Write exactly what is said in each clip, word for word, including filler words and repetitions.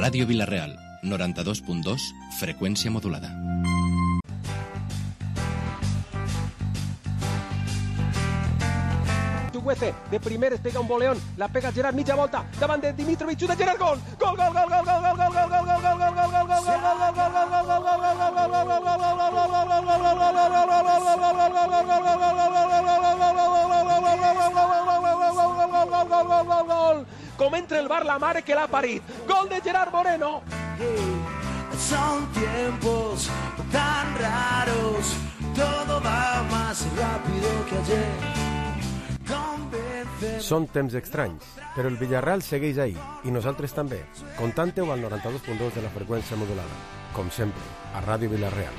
Ràdio Vila-real, noranta-dos punt dos, freqüència modulada. De primer es pega un boleón, la pega Gerard, mitja volta, davant de Dimitrovic, de Gerard, gol! Gol, gol, gol, gol, gol, gol, gol, gol, gol, gol, gol, gol, gol, gol, gol, gol, com entra el bar la mare que l'ha parit. Gol de Gerard Moreno. Son tiempos tan raros, todo va más rápido que ayer. Són temps estranys, però el Villarreal segueix ahí, i nosaltres també. Contante-ho al noranta-dos punt dos de la freqüència modulada. Com sempre, a Ràdio Vila-real.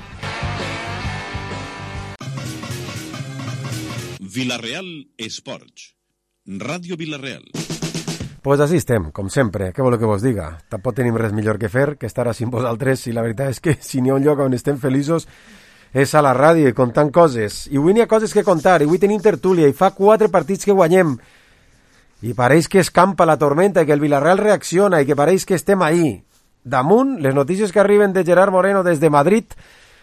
Vila-real Esports. Ràdio Vila-real. Pues així estem, com sempre. Què voleu que vos diga? Tampoc tenim res millor que fer que estar així amb vosaltres, i la veritat és que si n'hi ha un lloc on estem feliços és a la ràdio i contant coses. I avui n'hi ha coses que contar, i avui tenim tertúlia, i fa quatre partits que guanyem. I pareix que escampa la tormenta, i que el Villarreal reacciona, i que pareix que estem ahí. Damunt, les notícies que arriben de Gerard Moreno des de Madrid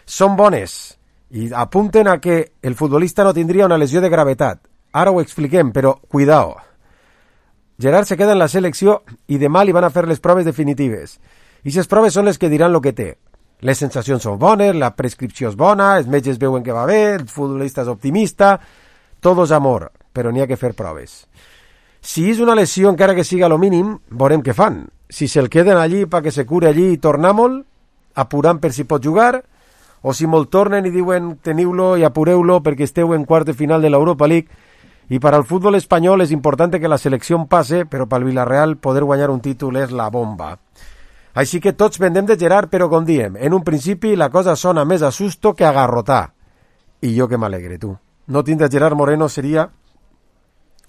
són bones, i apunten a que el futbolista no tindria una lesió de gravetat. Ara ho expliquem, però cuidao. Gerard se queda en la selecció i demà li van a fer les proves definitives. I les proves són les que diran el que té. Les sensacions són bones, la prescripció és bona, els metges veuen que va bé, el futbolista és optimista, tot és amor, però n'hi ha que fer proves. Si és una lesió, encara que siga lo mínim, veurem què fan. Si se'l queden allí perquè se cure allí i tornar-me'l, apurant per si pot jugar, o si me'l tornen i diuen teniu-lo i apureu-lo perquè esteu en quart de final de l'Europa League. I per al futbol espanyol és important que la selecció passe, però pel Villarreal poder guanyar un títol és la bomba. Així que tots vendem de Gerard, però com diem, en un principi la cosa sona més a susto que a garrotar. I jo que m'alegre, tu. No tindre Gerard Moreno seria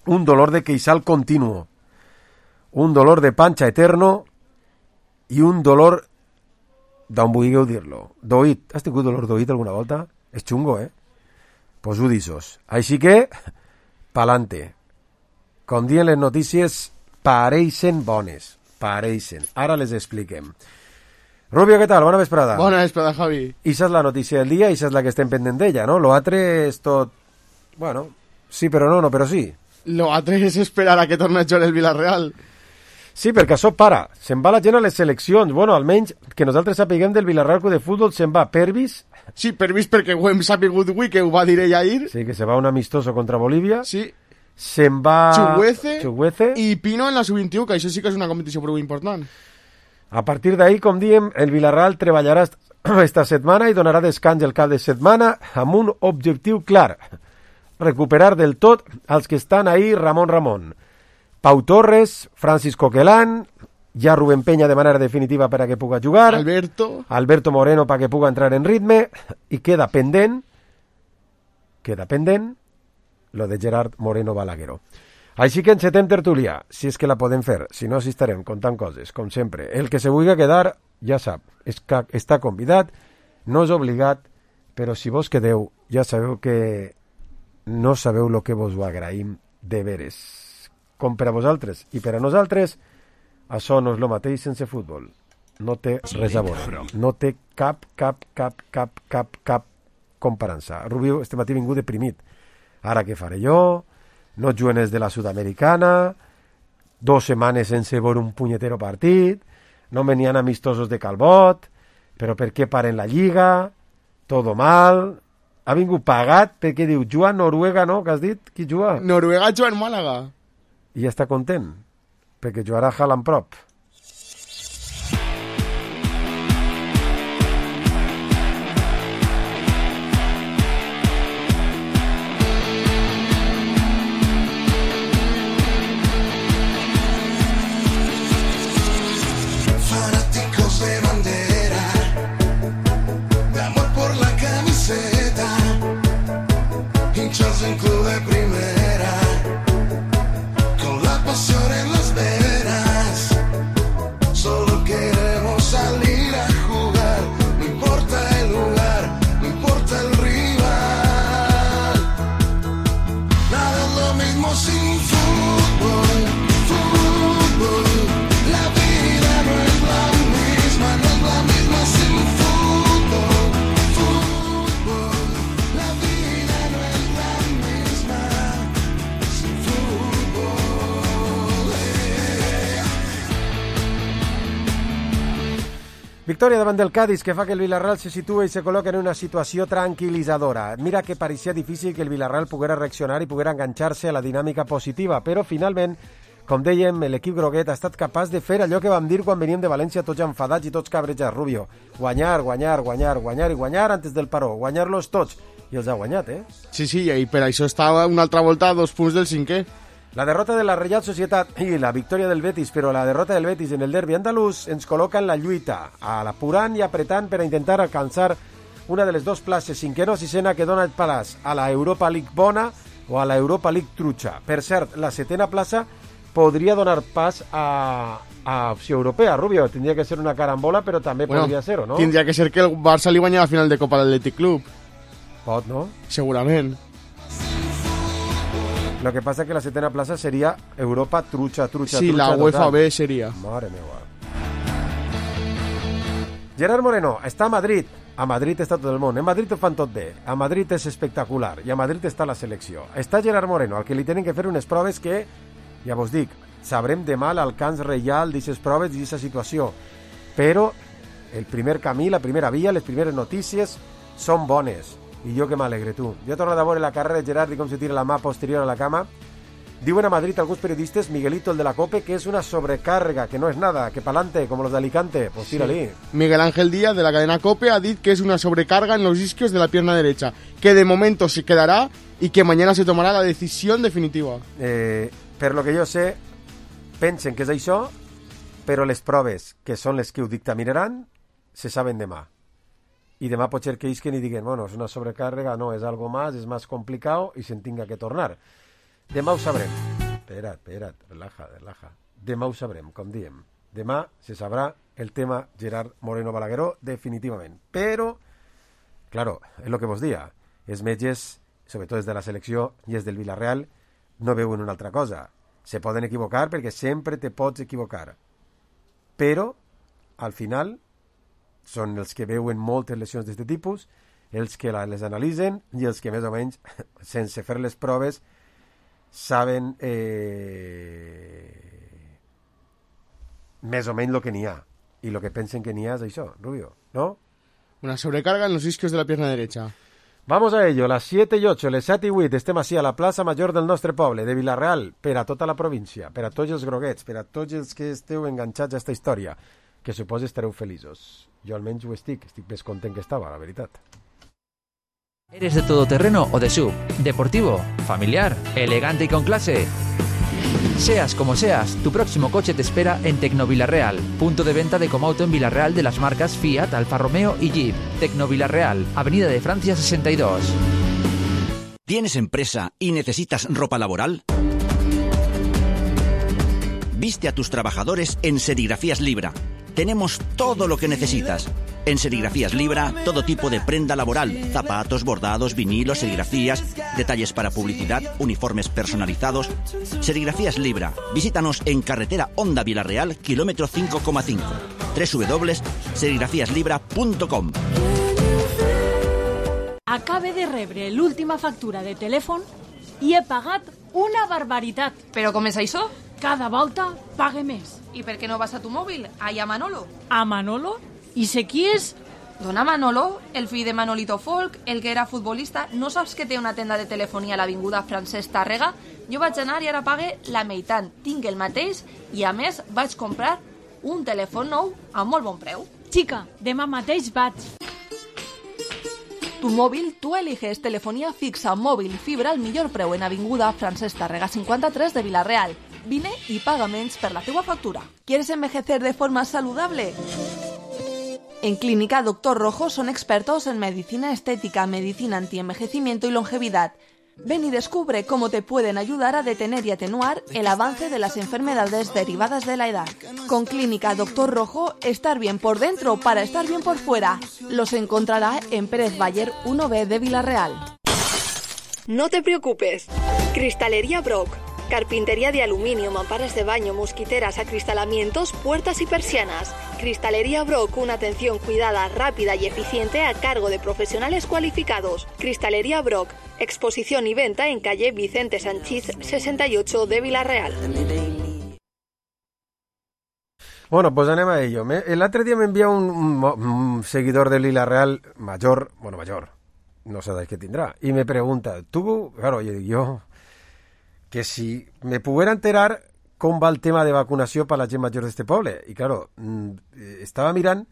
un dolor de queixal continuo, un dolor de panxa eterno i un dolor, d'on vulgueu dir-lo, d'oït. Has tingut dolor d'oït alguna volta? És xungo, eh? Pues ho dissos. Així que, pa'lante. Com diuen les notícies, pareixen bones. Pareixen. Ara les expliquem. Rubio, què tal? Bona vesprada. Bona vesprada, Javi. Ixa és la notícia del dia, ixa és la que estem pendent d'ella, no? Lo altre és tot... Bueno, sí però no, no però sí. Lo altre és esperar a que torni a jugar el Villarreal. Sí, perquè això para. Se'n va la gent a les seleccions. Bueno, almenys que nosaltres sapiguem del Villarreal Club de Futbol se'n va Pervis. Sí, Pervis perquè ho hem sapigut avui, que ho va dir ella ahir. Sí, que se va un amistoso contra Bolívia. Sí. Se'n va... Chuguece, Chuguece i Pino en la sub vint-i-u, que això sí que és una competició prou important. A partir d'ahí, com diem, el Villarreal treballarà esta setmana i donarà descans el cap de setmana amb un objectiu clar: recuperar del tot els que estan ahí Ramon Ramon. Pau Torres, Francis Coquelán, ja Rubén Peña de manera definitiva per a que puga jugar, Alberto, Alberto Moreno per a que puga entrar en ritme, i queda pendent, queda pendent, lo de Gerard Moreno Balagueró. Així que encetem tertúlia, si és que la podem fer, si no, si estarem contant coses, com sempre. El que se vulgui quedar, ja sap, és que està convidat, no és obligat, però si vos quedeu, ja sabeu que no sabeu el que vos ho agraïm de veres. Com per a vosaltres i per a nosaltres, això no és el mateix sense futbol. No té res a veure. No té cap, cap, cap, cap, cap, cap comparança. Rubio este matí ha vingut deprimit. Ara què faré jo? No juguen els de la Sudamericana, dos setmanes sense veure un punyetero partit, no venien amistosos de Calbot, però per què paren la Lliga? Todo mal. Ha vingut pagat perquè diu, juga Noruega, no? Que has dit? Qui juga? Noruega juga en Màlaga. I ja està content, perquè jugarà Haaland prop. En club de primera, con la pasión en las venas. Victòria davant del Cádiz, que fa que el Villarreal se situa i se col·loca en una situació tranquil·litzadora. Mira que pareixia difícil que el Villarreal poguera reaccionar i poguera enganxar-se a la dinàmica positiva, però finalment, com dèiem, l'equip groguet ha estat capaç de fer allò que vam dir quan veníem de València tots enfadats i tots cabrejats, Rubio. Guanyar, guanyar, guanyar, guanyar i guanyar antes del paró. Guanyar-los tots. I els ha guanyat, eh? Sí, sí, i per això estava una altra volta a dos punts del cinquè. La derrota de la Real Societat i la victòria del Betis, però la derrota del Betis en el derbi andalús ens col·loca en la lluita, apurant i apretant per a intentar alcançar una de les dues places, cinquena o sisena, que dona el palàs a la Europa League bona o a la Europa League trutxa. Per cert, la setena plaça podria donar pas a, a opció europea. Rubio, tindria que ser una carambola, però també bueno, podria ser, ¿o no? Tindria que ser que el Barça li guanya la final de Copa l'Atlètic Club. Pot, no? Segurament. Lo que pasa es que la setena plaça seria Europa trucha, trucha, sí, trucha. Sí, la UEFA total. B seria. Mare meva. Gerard Moreno està a Madrid. A Madrid està tot el món. En Madrid ho fan tot bé. A Madrid és espectacular. I a Madrid està la selecció. Està Gerard Moreno, al que li tenen que fer unes proves que, ja vos dic, sabrem demà l'alcance real d'aquestes proves i d'aquesta situació. Però el primer camí, la primera via, les primeres notícies són bones. I jo que m'alegre, tu. Jo he tornat a veure la carrera de Gerard i com se tira la mà posterior a la cama. Diuen a Madrid alguns periodistes, Miguelito, el de la COPE, que és una sobrecarga, que no és nada, que pa'lante, como los de Alicante. Pues tírali. Sí. Miguel Ángel Díaz, de la cadena COPE, ha dit que es una sobrecarga en los isquios de la pierna derecha, que de momento se quedará y que mañana se tomará la decisión definitiva. Eh, per lo que jo sé, pensen que és això, però les proves, que són les que ho dictaminaran, se saben demà. Y demà pot ser que isquen i diguen, bueno, és una sobrecàrrega, no, és algo más, és más complicado i se'n tinga que tornar. Demà ho sabrem. Espera't, espera't, relaja, relaja. Demà ho sabrem, com diem. Demà se sabrà el tema Gerard Moreno Balagueró definitivament. Però, claro, és lo que vos dia. Els metges, sobretot des de la selecció i els del Villarreal, no veuen una altra cosa. Se poden equivocar perquè sempre te pots equivocar. Però, al final, són els que veuen moltes lesions d'aquest tipus, els que les analitzen i els que més o menys, sense fer les proves, saben eh, més o menys el que n'hi ha. I el que pensen que n'hi ha és això, Rubio, ¿no? Una sobrecarga en los isquios de la pierna derecha. Vamos a ello, las siete y ocho, les set i vuit, estem així a la plaça Major del nostre poble, de Villarreal, per a tota la província, per a tots els groguets, per a tots els que esteu enganxats a aquesta història, que suposo estareu feliços. Jo almenys ho estic, estic més content que estava, la veritat. ¿Eres de todoterreno o de sub? ¿Deportivo? ¿Familiar? ¿Elegante y con clase? Seas como seas, tu próximo coche te espera en Tecnovillarreal, punto de venta de Comauto en Villarreal de las marcas Fiat, Alfa Romeo y Jeep. Tecnovillarreal, Avenida de Francia sesenta y dos. ¿Tienes empresa y necesitas ropa laboral? Viste a tus trabajadores en Serigrafías Libra. Tenemos todo lo que necesitas. En Serigrafías Libra, todo tipo de prenda laboral, zapatos, bordados, vinilos, serigrafías, detalles para publicidad, uniformes personalizados. Serigrafías Libra. Visítanos en carretera Honda Villarreal, kilómetro cinco coma cinco. doble u doble u doble u punt serigrafías libra punt com. Acabe de rebre l'última factura de telèfon i he pagat una barbaritat. Però com és això? Cada volta pague més. I per què no vas a tu mòbil? Allà a Manolo. A Manolo? I sé qui és? Dona Manolo, el fill de Manolito Folk, el que era futbolista. No saps que té una tenda de telefonia a l'avinguda Francesc Tàrrega? Jo vaig anar i ara pague la meitat. Tinc el mateix i, a més, vaig comprar un telèfon nou a molt bon preu. Xica, demà mateix vaig. Tu mòbil, tu eliges telefonía fixa, mòbil i fibra al millor preu en avinguda Francesc Tàrrega cinquanta-tres de Villarreal. Vine y paga menys per la teua factura. ¿Quieres envejecer de forma saludable? En Clínica Doctor Rojo son expertos en medicina estética, medicina antienvejecimiento y longevidad. Ven y descubre cómo te pueden ayudar a detener y atenuar el avance de las enfermedades derivadas de la edad. Con Clínica Doctor Rojo, estar bien por dentro para estar bien por fuera. Los encontrará en Pérez Bayer uno B de Villarreal. No te preocupes. Cristalería Brock. Carpintería de aluminio, mamparas de baño, mosquiteras, acristalamientos, puertas y persianas. Cristalería Brock, una atención cuidada, rápida y eficiente a cargo de profesionales cualificados. Cristalería Brock, exposición y venta en calle Vicente Sanchís sesenta y ocho de Villarreal. Bueno, pues anem a ello. Me, el otro día me envía un, un, un seguidor de Lila Real mayor, bueno, mayor, no sé de qué tendrá, y me pregunta, tú, claro, yo, yo, que si me pudiera enterar com va el tema de vacunació per la gent major d'este poble. I, claro, estava mirant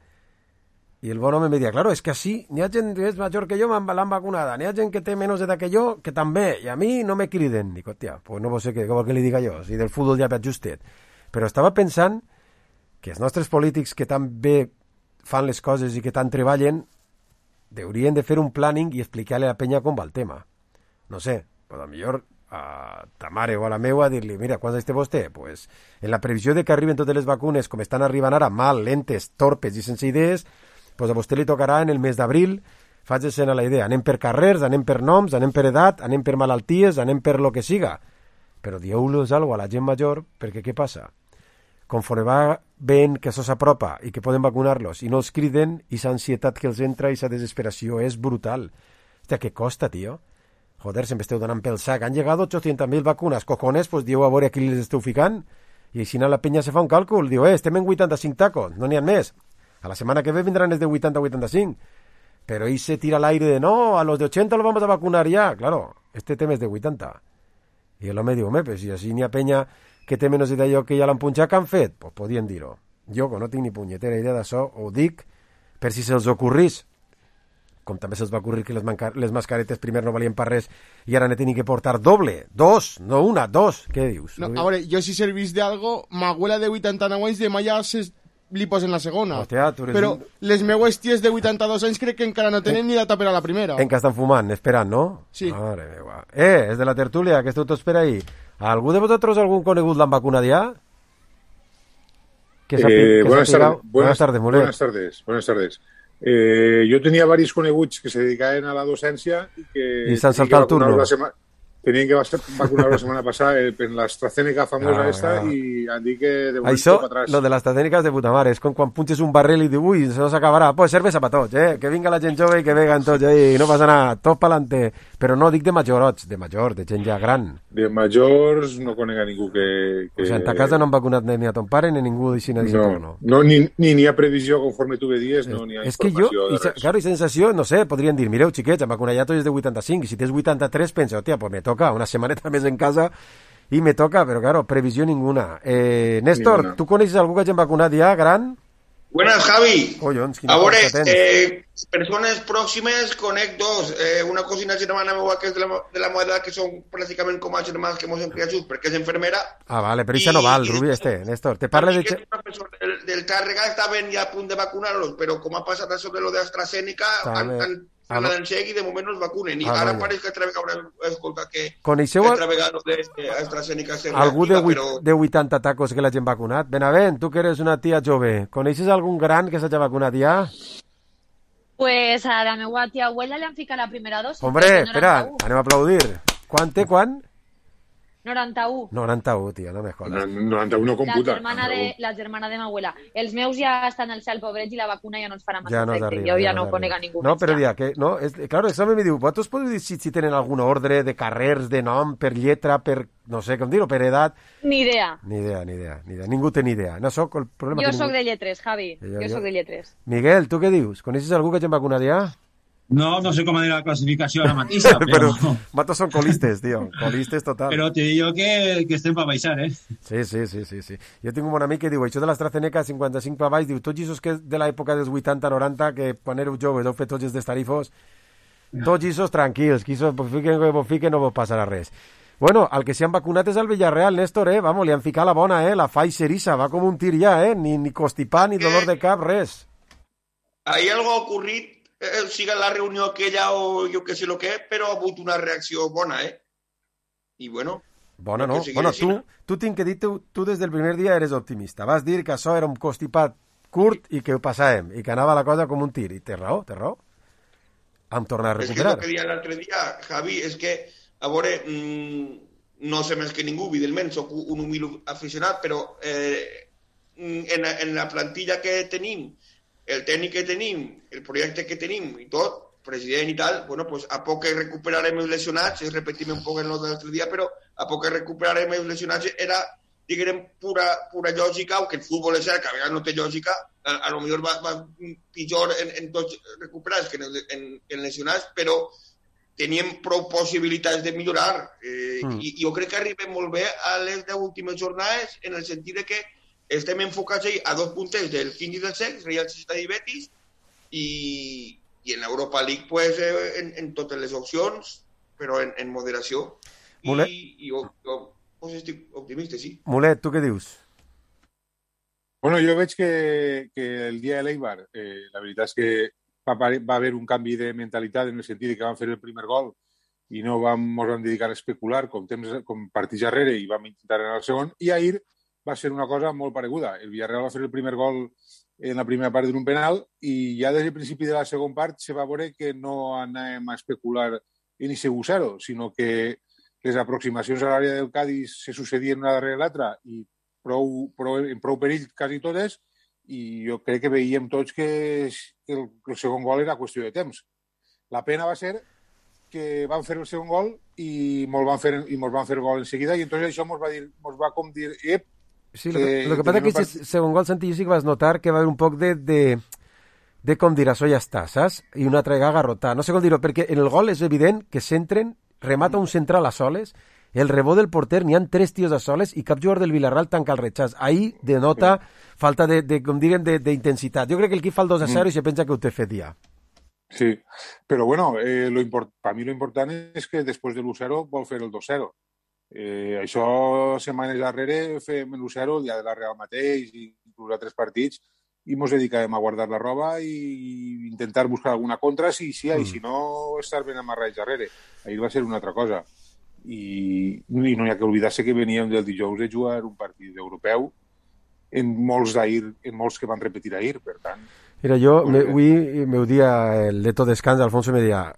i el bon home me deia, claro, és que així n'hi ha gent que és major que jo, l'han vacunada, n'hi ha gent que té menys edat que jo, que també, i a mi no me criden. Dic, hòstia, pues no sé què, què vol que li diga jo, si del futbol ja veig justet. Però estava pensant que els nostres polítics que tan bé fan les coses i que tant treballen haurien de fer un planning i explicar-li a la penya com va el tema. No sé, però millor a ta mare o a la meua dir-li, mira, quants anys té vostè? Pues, en la previsió de que arriben totes les vacunes com estan arribant ara, mal, lentes, torpes i sense idees, pues a vostè li tocarà en el mes d'abril, faig-se'n a la idea, anem per carrers, anem per noms, anem per edat, anem per malalties, anem per lo que siga. Però dieu-los alguna a la gent major, perquè què passa? Conforme va veient que això s'apropa i que poden vacunar-los i no els criden, i l'ansietat que els entra i la desesperació és brutal. Hòstia, què costa, tio? Joder, se m'esteu donant pel sac. Han llegat ochocientas mil vacunes. Cojones, pues diu a veure a qui les esteu ficant. I així la penya se fa un càlcul. Diu, eh, estem en vuitanta-cinc tacos, no n'hi ha més. A la setmana que ve vindran els de vuitanta a vuitanta-cinc. Però ahí se tira al aire de, no, a los de ochenta los vamos a vacunar ya. Claro, este tema és de vuitanta. I l'home diu, home, pues si així n'hi ha penya que té menys d'allò que ja l'han punxat, que han fet? Pues podien dir-ho. Jo, que no tinc ni punyetera idea d'això, ho dic per si se'ls ocorrís. Com també se'ls va ocurrir que les, les mascaretes primer no valien per res i ara ne tenen que portar doble, dos, no una, dos. Què dius? No, a veure, jo si servís d'algo, ma abuela de vuitanta-nou anys de malla se li posen la segona. Hòstia, tu eres però un... les meues ties de vuitanta-dos anys crec que encara no tenen en... ni data per a la primera. En què estan fumant, esperant, no? Sí. Mare meva. Eh, és de la tertúlia, que esteu tots per ahí. ¿Algú de vosaltres, algún conegut l'han vacunat ja? Que eh, que buenas, tardes, buenas, buenas tardes, Mulet. Buenas tardes, buenas tardes. Eh, yo tenía varios coneguts que se dedicaban a la docencia y que y se han saltado el turno. Tenían que vacunar la semana pasada en la AstraZeneca famosa ah, esta ah. y han dit que de momento Això, para atrás. Lo de la AstraZeneca és de puta mare, és com quan punxes un barril i dius, ui, se nos acabarà, pues cervesa pa tots, eh? Que vinga la gent jove i que veguen tots, eh? I no passa nada, tot pa'lante. Però no dic de majorots, de major, de gent ja gran. De majors no conec a ningú que... que... O sigui, en ta casa no han vacunat ni a ton pare ni ningú d'així no, no, no. No, ni n'hi ni ha previsió conforme tu vedies, no n'hi ha és informació que jo, de res. Claro, i sensació, no sé, podrien dir, mireu, xiquets, han vacunat ja tots de vuitanta-cinc, i si tens vuitanta-tres, pensa, hòstia, pues me toca una setmaneta més en casa i me toca, però claro, previsió ninguna. Eh, Néstor, ninguna. Tu coneixes algú que hagin vacunat ja, gran? Buenas, Javi. Collons, a veure, eh, persones pròximes conec dos. Eh, una cosina germana meva que és de la, de la meva edat, que són pràcticament com a germans que mos hem criat junts, perquè és enfermera. Ah, vale, però això no val, Rubi, este, Néstor. Te parla de... Del, del Tàrrega estaven ja a punt de vacunar-los, però com ha passat això de lo d'AstraZeneca, han, han a la d'enceg i de moment no es vacunen. I ah, ara pareix que altra vegada haurem escoltat que coneixeu altra vegada d'AstraZeneca és algú de, però... de vuitanta tacos que l'hagin vacunat? Benavent, tu que eres una tia jove, coneixes algun gran que s'hagi vacunat ja? Pues a la meva tia abuela li han ficat la primera dosi. Hombre, espera, anem a aplaudir. Quan té, quan? noranta-u. noranta-u, tio, no me jodas. noranta-u no computa. La germana de, la germana de ma abuela. Els meus ja estan al cel, pobrets, i la vacuna ja no ens farà massa ja no efecte. Jo ja, ja no conec a ningú no, més. Però dia, que, no, és, claro, això me diu, vosaltres podeu dir si, si tenen algun ordre de carrers, de nom, per lletra, per, no sé com dir-ho, per edat? Ni idea. Ni idea, ni idea, ni idea. Ningú té ni idea. No soc el problema jo que soc ningú... de lletres, Javi. Jo, jo soc de lletres. Miguel, tu què dius? Coneixes algú que hagin vacunat ja? No, no sé com dir la classificació ara mateixa, però... però matos són colistes, tio, colistes total. Però te digo que, que estem per baixar, eh? Sí, sí, sí, sí, sí. Jo tinc un bon amic que diu, això de l'AstraZeneca cinquanta-cinc per baix, diu, tots aquests que de l'època dels vuitanta noranta, que quan éreu joves heu fet tots els destarifos, tots aquests tranquils, que això fiquen que vos fiquen no vos passarà res. Bueno, el que s'hi han vacunat és el Villarreal, Néstor, eh? Vamos, li han ficat la bona, eh? La Pfizer-issa, va com un tir ja, eh? Ni, ni constipar, ni dolor de cap, res. Ahí algo ha ocurrit, eh, siga la reunió aquella o jo que sé lo que, però ha hagut una reacció bona, eh? I bueno... Bona, no? Bueno, tu, tu tinc que dir, tu, tu des del primer dia eres optimista. Vas dir que això era un constipat curt i que ho passàvem, i que anava la cosa com un tir. I té raó, té raó. Hem tornat a recuperar. És que el que deia l'altre dia, Javi, és que, a veure, mmm, no sé més que ningú, evidentment, soc un humil aficionat, però eh, en, en la plantilla que tenim, el tècnic que tenim, el projecte que tenim i tot, president i tal, bueno, pues a poc que recuperarem els lesionats, es repetim un poc en el de l'altre dia, però a poc que recuperarem els lesionats era diguem, pura, pura lògica, o que el futbol és cert, que a vegades no té lògica, a, a lo millor va, va pitjor en, en tots recuperats que en, en, en lesionats, però teníem prou possibilitats de millorar. Eh, mm. I jo crec que arribem molt bé a les deu últimes jornades en el sentit de que estem enfocats ahí a dos punters del quinze i del setze, Real Societat i Betis, i, i en l'Europa League pues, eh, en, en totes les opcions, però en, en moderació. Mulet. I, i jo, jo pues, estic optimista, sí. Mulet, tu què dius? Bueno, jo veig que, que el dia de l'Eibar, eh, la veritat és que va, va haver un canvi de mentalitat en el sentit de que van fer el primer gol i no vam, ens vam dedicar a especular com, temps, com partits darrere i vam intentar anar al segon, i ahir va ser una cosa molt pareguda. El Villarreal va fer el primer gol en la primera part d'un penal i ja des del principi de la segona part se va veure que no anàvem a especular en ese zero, sinó que les aproximacions a l'àrea del Cádiz se sucedien una darrere l'altra i prou, prou, en prou perill quasi totes, i jo crec que veiem tots que el, el segon gol era qüestió de temps. La pena va ser que van fer el segon gol i mos van fer, i mos van fer gol en seguida, i entonces això mos va, dir, mos va com dir ep, sí, lo que, lo que pasa es que ese segon gol, Santi, jo sí que vas notar que va haver un poc de, de, de com dir, això ja està, saps? I una altra garrotada. No sé com dir-ho, perquè en el gol és evident que s'entren, remata un central a soles, el rebot del porter, n'hi ha tres tios a soles i cap jugador del Villarreal tanca el retxàs. Ahí denota sí. falta de, de, com diguen, d'intensitat. Jo crec que el equip fa el dos a zero mm. i se pensa que ho té fet ja. Sí, però bueno, eh, lo import, per mi lo important és que després de l'u zero vol fer el dos zero. Eh, això setmanes darrere fem l'u zero el dia de la Real mateix i inclús a tres partits i ens dedicarem a guardar la roba i intentar buscar alguna contra si sí, mm. i si no estar ben amarrats darrere. Ahir va ser una altra cosa. I, i no hi ha que oblidar-se que veníem del dijous de jugar un partit europeu en molts d'ahir, en molts que van repetir ahir, per tant... Mira, jo, me, avui meu dia, el Leto Descans, Alfonso me deia,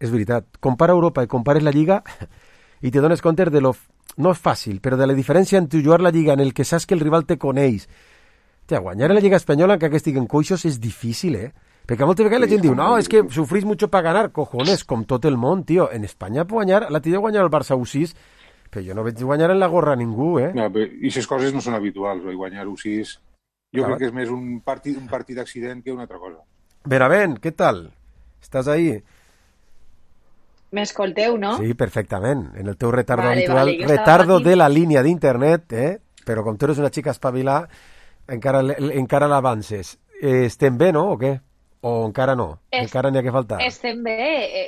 és veritat, compara Europa i compares la Lliga i te dones compte de lo... No és fàcil, però de la diferència entre jugar la Lliga en el que saps que el rival te coneix. Tia, guanyar en la Lliga Espanyola, encara que estiguen coixos, és difícil, eh? Perquè moltes vegades la gent diu, no, és que sufrís mucho para ganar. Cojones, com tot el món, tio. En Espanya puc guanyar, la tio guanyar el Barça u sis, però jo no veig guanyar en la gorra a ningú, eh? No, però, i aquestes coses no són habituals, oi? Guanyar u sis... Jo Clar. crec que és més un partit, un partit d'accident que una altra cosa. Benavent, què tal? Estàs ahí? M'escolteu, no? Sí, perfectament. En el teu retardo vale, habitual. Vale, retardo de la línia d'internet, eh? Però com tu eres una xica espavilada, encara, encara l'avances. Eh, estem bé, no? O què? O encara no? Es, encara n'hi ha que faltar? Estem bé,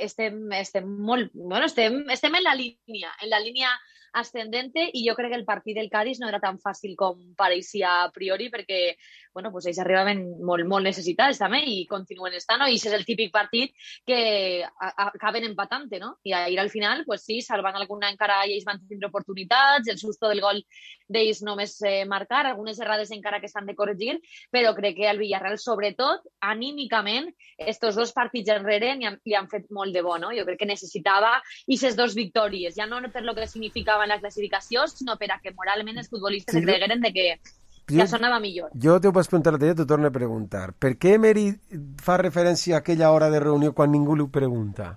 estem, estem molt... Bueno, estem, estem en la línia, en la línia ascendente, i jo crec que el partit del Cádiz no era tan fàcil com pareixia a priori, perquè bueno, pues ells arribaven molt, molt necessitats també i continuen estant, no? I això és el típic partit que a, a, acaben empatant, no? I ahir al final, pues sí, salvant alguna encara ells van tindre oportunitats, el susto del gol d'ells només eh, marcar, algunes errades encara que s'han de corregir, però crec que el Villarreal, sobretot, anímicament, estos dos partits enrere li han, li han fet molt de bo, no? Jo crec que necessitava aquestes dos victòries, ja no per lo que significava la classificació, sinó per a que moralment els futbolistes sí, es cregueren de que ja sonava millor. Jo t'ho vaig preguntar l'altre dia, t'ho torno a preguntar. Per què Emery fa referència a aquella hora de reunió quan ningú li pregunta?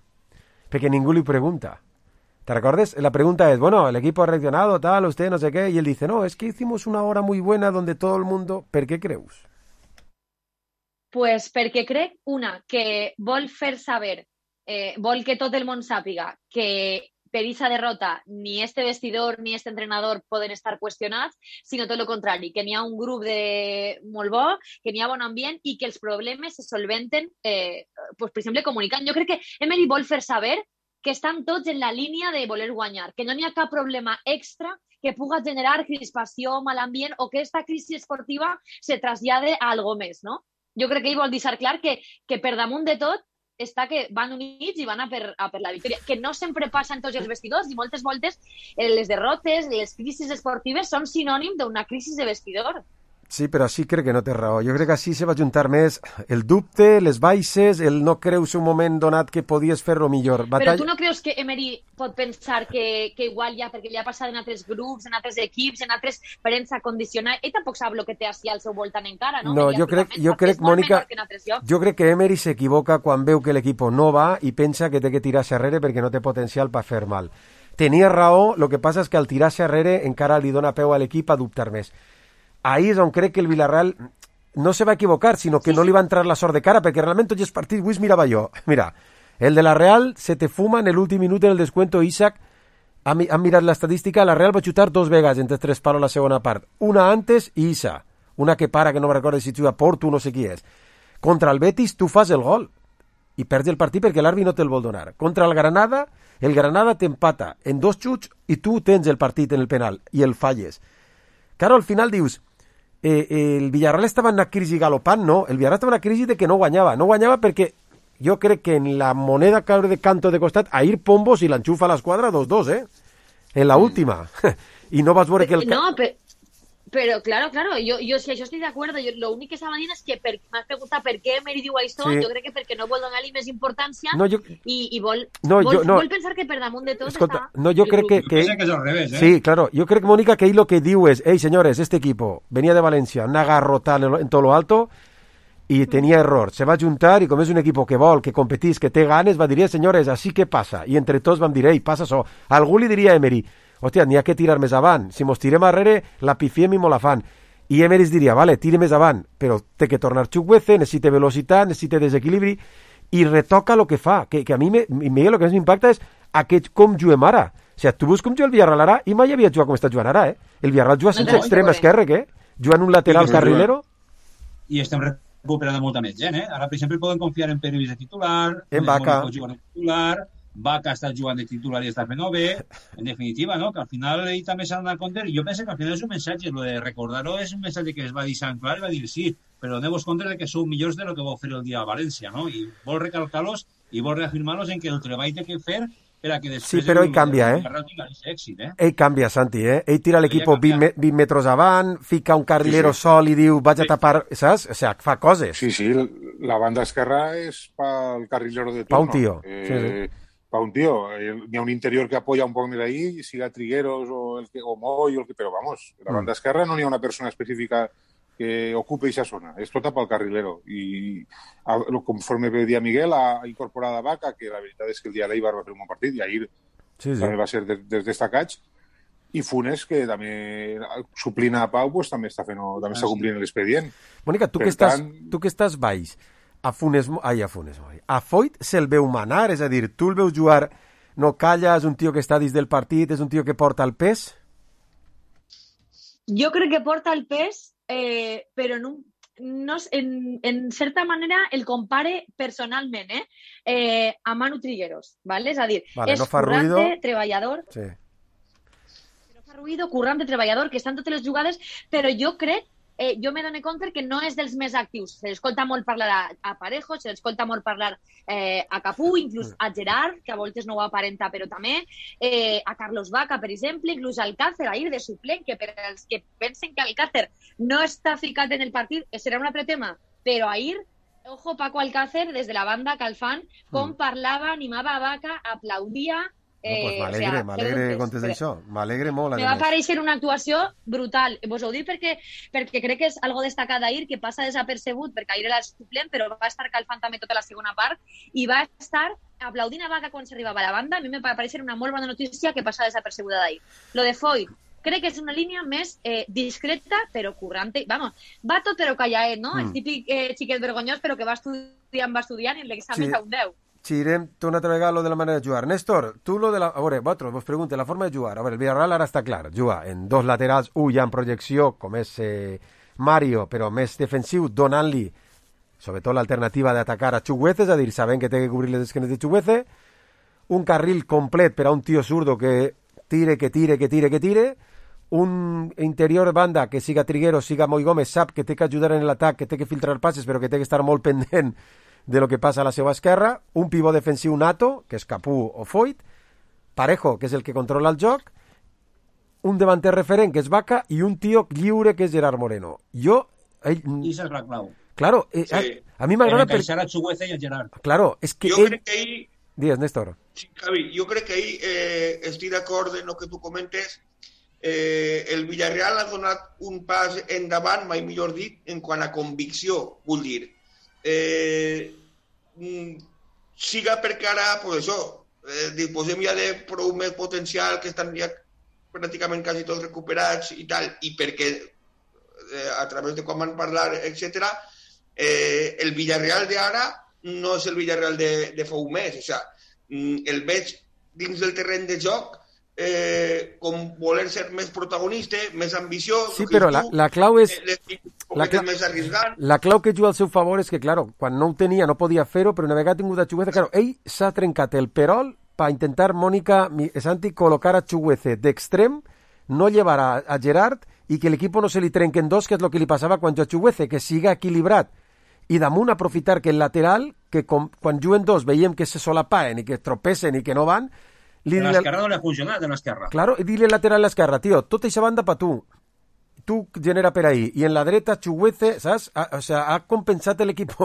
Perquè ningú li pregunta. ¿Te recuerdas? La pregunta es, bueno, el equipo ha reaccionado, tal, usted, no sé qué, y él dice, no, es que hicimos una hora muy buena donde todo el mundo... ¿Per què creus? Pues perquè crec, una, que vol fer saber, eh, vol que tot el món sàpiga que per aquesta derrota ni este vestidor ni este entrenador poden estar qüestionats, sinó tot el contrari, que n'hi ha un grup de molt bo, que n'hi ha bon ambient i que els problemes se solventen, eh, pues, per exemple, comunicant. Jo crec que Emery vol fer saber que estan tots en la línia de voler guanyar, que no n'hi ha cap problema extra que puga generar crispació, mal ambient o que aquesta crisi esportiva se trasllade a algo més, no? Jo crec que ell vol deixar clar que, que per damunt de tot està que van units i van a per, a per la victòria, que no sempre passa en tots els vestidors i moltes voltes les derrotes, les crisis esportives són sinònim d'una crisi de vestidor. Sí, però així crec que no té raó. Jo crec que així se va juntar més el dubte, les baixes, el no creus un moment donat que podies fer-ho millor. Batall... Però tu no creus que Emery pot pensar que, que igual ja, perquè ja ha passat en altres grups, en altres equips, en altres premsa condicionada, ell tampoc sap el que té així al seu voltant encara, no? No, jo crec, jo crec, Mònica, jo crec que Emery s'equivoca quan veu que l'equip no va i pensa que té que tirar-se arrere perquè no té potencial per fer mal. tenia raó, el que passa és que al tirar-se arrere encara li dona peu a l'equip a dubtar més. Ahí és on crec que el Villarreal no se va equivocar, sinó que no li va entrar la sort de cara, perquè realment tots els partits, avui mirava jo, mira, el de la Real se te fuma en l'últim minut en el descuento. Isaac, han, han mirat l'estadística, la Real va xutar dos vegades entre tres palos la segona part, una antes i Isa, una que para, que no me recordo si juga Porto, no sé qui és. Contra el Betis tu fas el gol i perds el partit perquè l'àrbitre no te'l vol donar. Contra el Granada, el Granada t'empata en dos xuts i tu tens el partit en el penal i el falles. Claro, al final dius, eh, eh, el Villarreal estava en una crisi galopant, no? El Villarreal estava en una crisi de que no guanyava. No guanyava perquè jo crec que en la moneda que de canto de costat, Ahir Pombos i l'enxufa a l'esquadra dos dos, eh? En la última. I no vas veure que el... No, però... Pero claro, claro, yo, yo, si yo estoy de acuerdo, yo, lo único que estaba dient és que per, m'has preguntat per què Emery diu això, sí. Jo crec que perquè no vol donar-li més importància no, jo... i, i vol, no, vol, jo, no. vol pensar que per damunt de tot Escolta, està... No, jo crec que... que... que és al revés, eh? Sí, claro, yo creo que Mónica que ahí lo que diu es, hey señores, este equipo venía de Valencia, una garrotada en, en todo lo alto y tenía error, se va a juntar y como es un equipo que vol, que competís, que té ganes, va dir, señores, así que passa, i entre tots vam dir, ei, passa això. Algú li diria a Emery, hòstia, n'hi ha que tirar més avant, si mos tirem arrere, la pifiem i mo la fan. I Emery diria, vale, tire més avant, però té que tornar Chukwueze, necessita velocitat, necessita desequilibri, i retoca el que fa, que, que a mi, me, Miguel, el que més m'impacta és aquest com juguem ara. O sigui, tu veus com juga el Villarreal ara, i mai havia jugat com està jugant ara, eh? El Villarreal juga sense no, no, extrem esquerre, què? Jugant un lateral sí, carrilero. I estem recuperant molta més gent, eh? Ara, per exemple, poden confiar en Pervis de titular, en Vaca. De titular, Vaca està jugant de titular i està fent bé, en definitiva, no? Que al final ell també s'ha d'anar a compte. Jo penso que al final és un missatge, lo de recordar-ho és un missatge que es va dir Sant Clar i va dir sí, però doneu-vos compte de que sou millors de lo que vau fer el dia a València, no? I vol recalcar-los i vol reafirmar-los en que el treball té que fer per a que després... Sí, però ell canvia, eh? Èxit, eh? Ell canvia, Santi, eh? Ell tira l'equip vint, vint metres avant, fica un carrilero sí, sí. sol i diu vaig a tapar, saps? O sigui, fa coses. Sí, sí, la banda esquerra és pel carrilero de turno. Pa un tio, eh, sí, sí. Pa un tío, hi ha un interior que apoya un poco de ahí, siga Trigueros o, el que, o Moy, o el que, pero vamos, la banda esquerra no hi ha una persona específica que ocupe esa zona, és tota pel carrilero. I a, conforme veia Miguel, ha incorporat a Vaca, que la veritat és que el dia de l'Eibar va fer un bon partit, i ahir sí, sí. també va ser dels de, destacats, i Funes, que també suplint a Pau, pues, també està, fent, també ah, està complint sí. l'expedient. Mónica, tu, que estàs, tant... tu que estàs baix, a Funes, ai, a Funes, a Foyt se'l veu manar, és a dir, tu el veus jugar, no calla, és un tio que està dins del partit, és un tio que porta el pes? Jo crec que porta el pes, eh, però no, no, en, en certa manera el compare personalment, eh, eh a Manu Trigueros, ¿vale? És a dir, vale, és no fa currante, ruido. treballador, sí. no fa ruido, currante, treballador, que està en totes les jugades, però jo crec Eh, jo me dono compte que no és dels més actius. Se l'escolta molt parlar a, a Parejo, se l'escolta molt parlar eh, a Capú, inclús a Gerard, que a voltes no ho aparenta, però també eh, a Carlos Vaca, per exemple, inclús al Alcácer, ahir de suplent, que per als que pensen que Alcácer no està ficat en el partit, serà un altre tema, però ahir, ojo, Paco Alcácer, des de la banda Calfán, com mm. parlava, animava a Vaca, aplaudia. No, pues m'alegre, o sea, m'alegre que contes això. M'alegre molt. Me va aparèixer una actuació brutal. Vos ho dic perquè, perquè crec que és algo destacat d'ahir, que passa desapercebut, perquè ahir era el suplent, però va estar calfant també tota la segona part, i va estar aplaudint a Vaca quan s'arribava a la banda. A mi me va aparèixer una molt bona notícia que passa desapercebuda d'ahir. Lo de Foyt, crec que és una línia més eh, discreta, però currante. Vamos, va tot però callaet, no? Mm. El típic eh, xiquet vergonyós, però que va estudiant, va estudiant i en l'examen sí. a un deu. Xirem, tu una altra vegada lo de la manera de jugar. Néstor, tu lo de la... A veure, vosaltres vos pregunte, la forma de jugar. A veure, el Villarreal ara està clar. Juga en dos laterals, un ja en projecció, com és eh, Mario, però més defensiu, donant-li, sobretot l'alternativa d'atacar a Chukwueze, és a dir, sabent que té que cobrir les esquenes de Chukwueze, un carril complet per a un tio zurdo que tire, que tire, que tire, que tire, un interior banda que siga Trigueros, siga Moy Gómez, sap que té que ajudar en l'atac, que té que filtrar passes, però que té que estar molt pendent de lo que passa a la seva esquerra, un pivot defensiu nato, que és Capú o Foyt, Parejo, que és el que controla el joc, un davanter referent, que és Vaca, i un tio lliure, que és Gerard Moreno. Jo... Ell... I és la clau. Claro, eh, sí. a, a mi m'agrada... Per... a Chukwueze i a Gerard. Claro, és que jo ell... crec que ahí... Digues, Néstor. Sí, Javi, jo crec que ahí eh, estic d'acord en el que tu comentes. Eh, el Villarreal ha donat un pas endavant, mai millor dit, en quant a convicció, vull dir. Eh, siga perquè ara, pues això, eh, disposem ja de prou més potencial, que estan ja pràcticament quasi tots recuperats i tal, i perquè eh, a través de quan van parlar, etcètera, eh, el Villarreal d'ara no és el Villarreal de, de fa un mes, o sigui, el veig dins del terreny de joc eh, com voler ser més protagonista, més ambiciós. Sí, però la, la clau és... La, clau, més arriesgant. La clau que juga al seu favor és que, claro, quan no ho tenia no podia fer-ho, però una vegada ha tingut a Chuguece, claro, ell s'ha trencat el perol per intentar, Mónica Santi, col·locar a Chuguece d'extrem, no llevar a, a Gerard i que l'equip no se li trenquen dos, que és el que li passava quan juga a Chuguece, que siga equilibrat. I damunt aprofitar que el lateral, que com, quan juguen dos veiem que se solapaen i que tropessen i que no van... Li, de l'esquerra no li ha funcionat, de l'esquerra. Claro, i dile lateral a l'esquerra, tio, tota aquesta banda per tu. Tu genera per ahí. I en la dreta, Chuguece, saps? Ha, o sea, ha compensat l'equip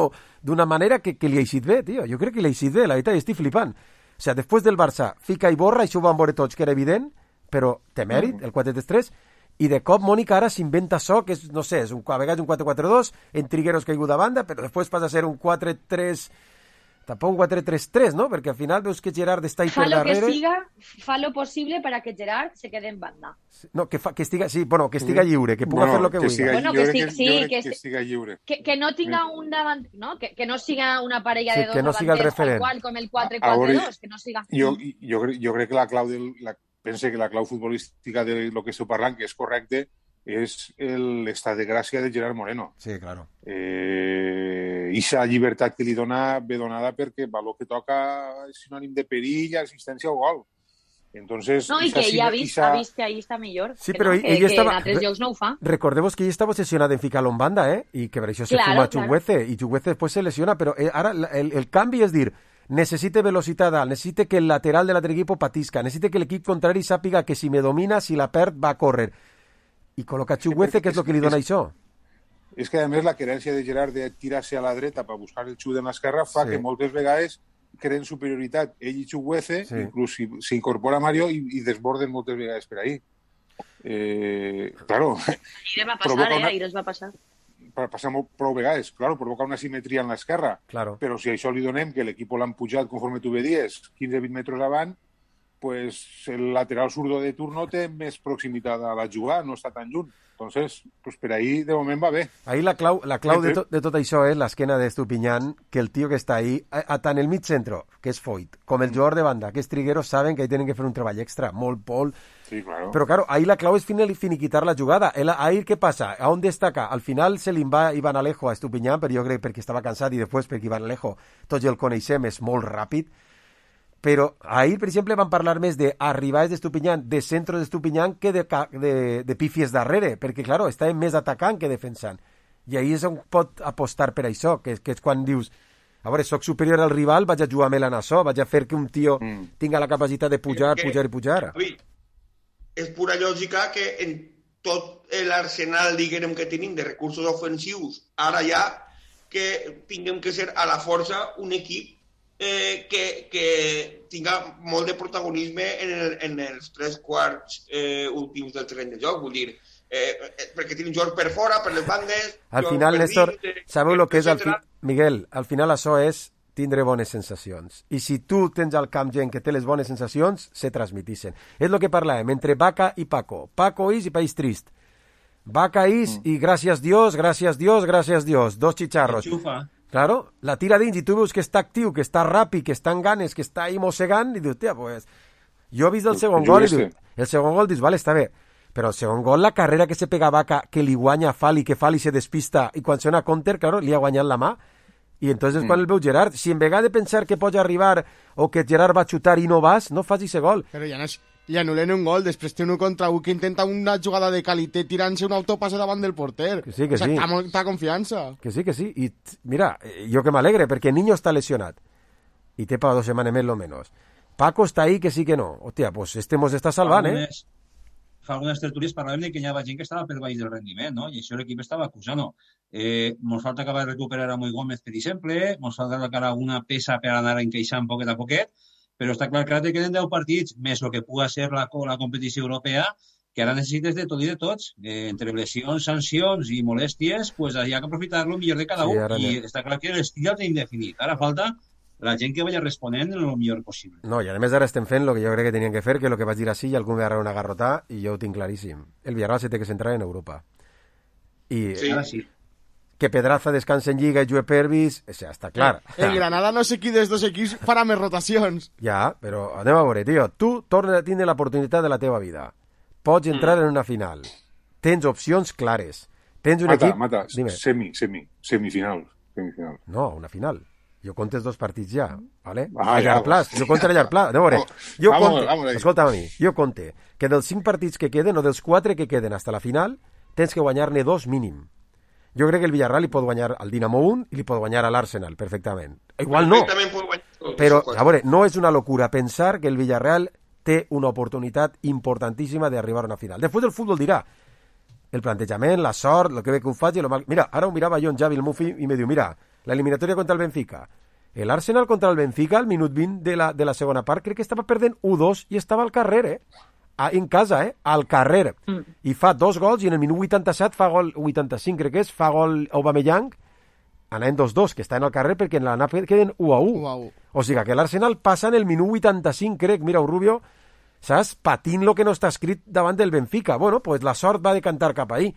d'una manera que, que li ha eixit bé, tio. Jo crec que li ha eixit bé, la veritat, i estic flipant. O sea, després del Barça, fica i borra, això ho van veure tots, que era evident, però té mèrit, el quatre tres tres, i de cop Mónica ara s'inventa això, que és, no sé, és un, a vegades un quatre quatre dos, en Trigueros caigut a banda, però després passa a ser un quatre tres... Tampoc un quatre tres tres, no? Perquè al final veus que Gerard està ahí per darrere. Fa lo que siga, fa lo possible para que Gerard se quede en banda. No, que, fa, que estiga, sí, bueno, que estiga lliure, que puga bueno, fer lo que, que vulgui. Bueno, que, sí, sí, que, que estiga lliure. Que, que no tinga un davant, no? Que, que no siga una parella sí, de dos que no siga el referent. Igual com el quatre quatre dos, que no siga... Jo, jo, jo crec que la clau del... La, pense que la clau futbolística de lo que esteu parlant, que és correcte, és l'estat de gràcia de Gerard Moreno. Sí, claro. Eh, ixa llibertat que li dona ve donada perquè el que toca és sinònim de perill, assistència o gol. Entonces, no, i que ell ha vist, isa... ha vist que ahí està millor. Sí, que però no, ell, que, ell estava... que en altres llocs no ho fa. Recordeu que ell estava obsessionat en ficar-lo en banda, eh? I que per això se claro, fuma claro. Chuguece, i Chuguece després se lesiona, però eh, ara el, el canvi és dir, necessite velocitat alt, necessite que el lateral de l'altre equip patisca, necessite que l'equip contrari sàpiga que si me domina, si la perd, va a córrer. I col·loca Chuguece, que és el que li dona això. És que, a més, la querència de Gerard de tirar-se a la dreta per buscar el xut en l'esquerra fa sí. que moltes vegades creen superioritat ell i Chuguece, sí. inclús s'incorpora Mario i, i desborden moltes vegades per ahí. Eh, claro. Ahir va passar, eh? Ahir es va passar. Passar prou vegades, claro, provoca una simetria en l'esquerra. Claro. Però si això li donem que l'equip l'han pujat, conforme tu vedies, quinze vint metres avant, pues el lateral zurdo de turno té més proximitat a la jugada, no està tan lluny. Entonces, pues per ahí de moment va bé. Ahí la clau, la clau de, to, de tot això és l'esquena d'Estupiñán, que el tio que està ahí, a, a tant el mig centro, que és Foyt, com el jugador de banda, que és Trigueros, saben que ahí tenen que fer un treball extra, molt Pol. Sí, claro. Però claro, ahí la clau és finiquitar la jugada. El, ahí què passa? A on destaca? Al final se li va Iván Alejo a Estupiñán, però jo crec perquè estava cansat i després perquè Iván Alejo, tots el coneixem, és molt ràpid. Però ahir, per exemple, van parlar més d'arribades d'Estupiñán, de centros d'Estupiñán, que de, de, de pífies darrere, perquè, claro, estàvem més atacant que defensant. I ahir és on pot apostar per això, que, que és quan dius, a veure, soc superior al rival, vaig a jugar amb en això, vaig a fer que un tio mm. tinga la capacitat de pujar, que, pujar i pujar. Javi, és pura lògica que en tot l'arsenal, diguem, que tenim de recursos ofensius, ara ja, que tinguem que ser a la força un equip Eh, que, que tinga molt de protagonisme en, el, en els tres quarts eh, últims del terreny de joc, vull dir, eh, eh, perquè tenim jocs per fora, per les bandes... Al final, Néstor, dins, sabeu el que és... Al fi... Miguel, al final això és tindre bones sensacions. I si tu tens al camp gent que té les bones sensacions, se transmitissen. És el que parlàvem entre Vaca i Paco. Paco is i País Trist. Vaca is mm. i gràcies Dios, gràcies Dios, gràcies Dios. Dos xicharros. Enxufa. Claro, la tira dins i tu veus que està actiu, que està ràpid, que està en ganes, que està ahí mossegant i dius, tia, pues... Jo he vist el segon gol i dius, el segon gol dius, vale, està bé, però el segon gol, la carrera que se pega Vaca, que li guanya Fali, que Fali se despista i quan sona counter, claro, li ha guanyat la mà i entonces mm. quan el veu Gerard, si en vegada de pensar que pots arribar o que Gerard va xutar i no vas, no fas ese gol. Però ja no és... Li anulen un gol, després té un contra un que intenta una jugada de qualitat tirant-se un autopase davant del porter. Que sí, que o sigui, sí. Està molta confiança. Que sí, que sí. I mira, jo que m'alegre, perquè Niño està lesionat. I té per dos setmanes més, lo menos. Paco està ahí, que sí que no. Hòstia, pues este mos està salvant, eh? Fa algunes tertúlies parlàvem que hi havia gent que estava per baix del rendiment, no? I això l'equip estava acusant. Eh, mos falta acabar de recuperar a Moi Gómez, per exemple, mos falta acabar alguna peça per anar encaixant poquet a poquet, però està clar que ara te queden deu partits, més el que puga ser la, la competició europea, que ara necessites de tot i de tots. Eh, entre lesions, sancions i molèsties, pues hi ha que aprofitar-lo millor de cada sí, un. I no. Està clar que l'estil ja el tenim definit. Ara falta la gent que vaya responent el millor possible. No, i a més ara estem fent el que jo crec que tenien que fer, que el que vaig dir així i algú m'agarra una garrotà, i jo ho tinc claríssim. El Villarreal se té que centrar en Europa. I sí. Ara sí. Que Pedraza descansa en Lliga i Jue Pervis, o sea, està clar. El Granada no sé qui dels dos equips farà més rotacions. Ja, però anem a veure, tio. Tu tornes a tindre l'oportunitat de la teva vida. Pots entrar mm. en una final. Tens opcions clares. Tens un mata, equip... Mata, Dime. semi, semi, semifinal. semifinal. No, una final. Jo contes dos partits ja, ¿vale? Ah, a llarg ja, plaç, jo conte a llarg plaç. No, jo vamos, conte, vamos escolta'm a mi, jo conte que dels cinc partits que queden, o dels quatre que queden hasta la final, tens que guanyar-ne dos mínim. Jo crec que el Villarreal li pot guanyar al Dinamo un i li pot guanyar a l'Arsenal, perfectament. Igual no, però, a veure, no és una locura pensar que el Villarreal té una oportunitat importantíssima d'arribar a una final. Després el futbol dirà el plantejament, la sort, el que bé que ho faci, lo mal... Mira, ara ho mirava jo en Javi el Mufi i me diu, mira, la eliminatòria contra el Benfica. El Arsenal contra el Benfica, al minut vint de la, de la segona part, crec que estava perdent u dos i estava al carrer, eh? Ah, en casa, eh? Al carrer. Mm. I fa dos gols i en el minut vuitanta-set fa gol, vuitanta-cinc crec que és, fa gol Aubameyang, anant dos dos, que està en el carrer perquè en la N A P queden u a u. O sigui que l'Arsenal passa en el minut vuitanta-cinc, crec, mira, el Rubio, saps? Patint lo que no està escrit davant del Benfica. Bueno, pues la sort va decantar cap ahí.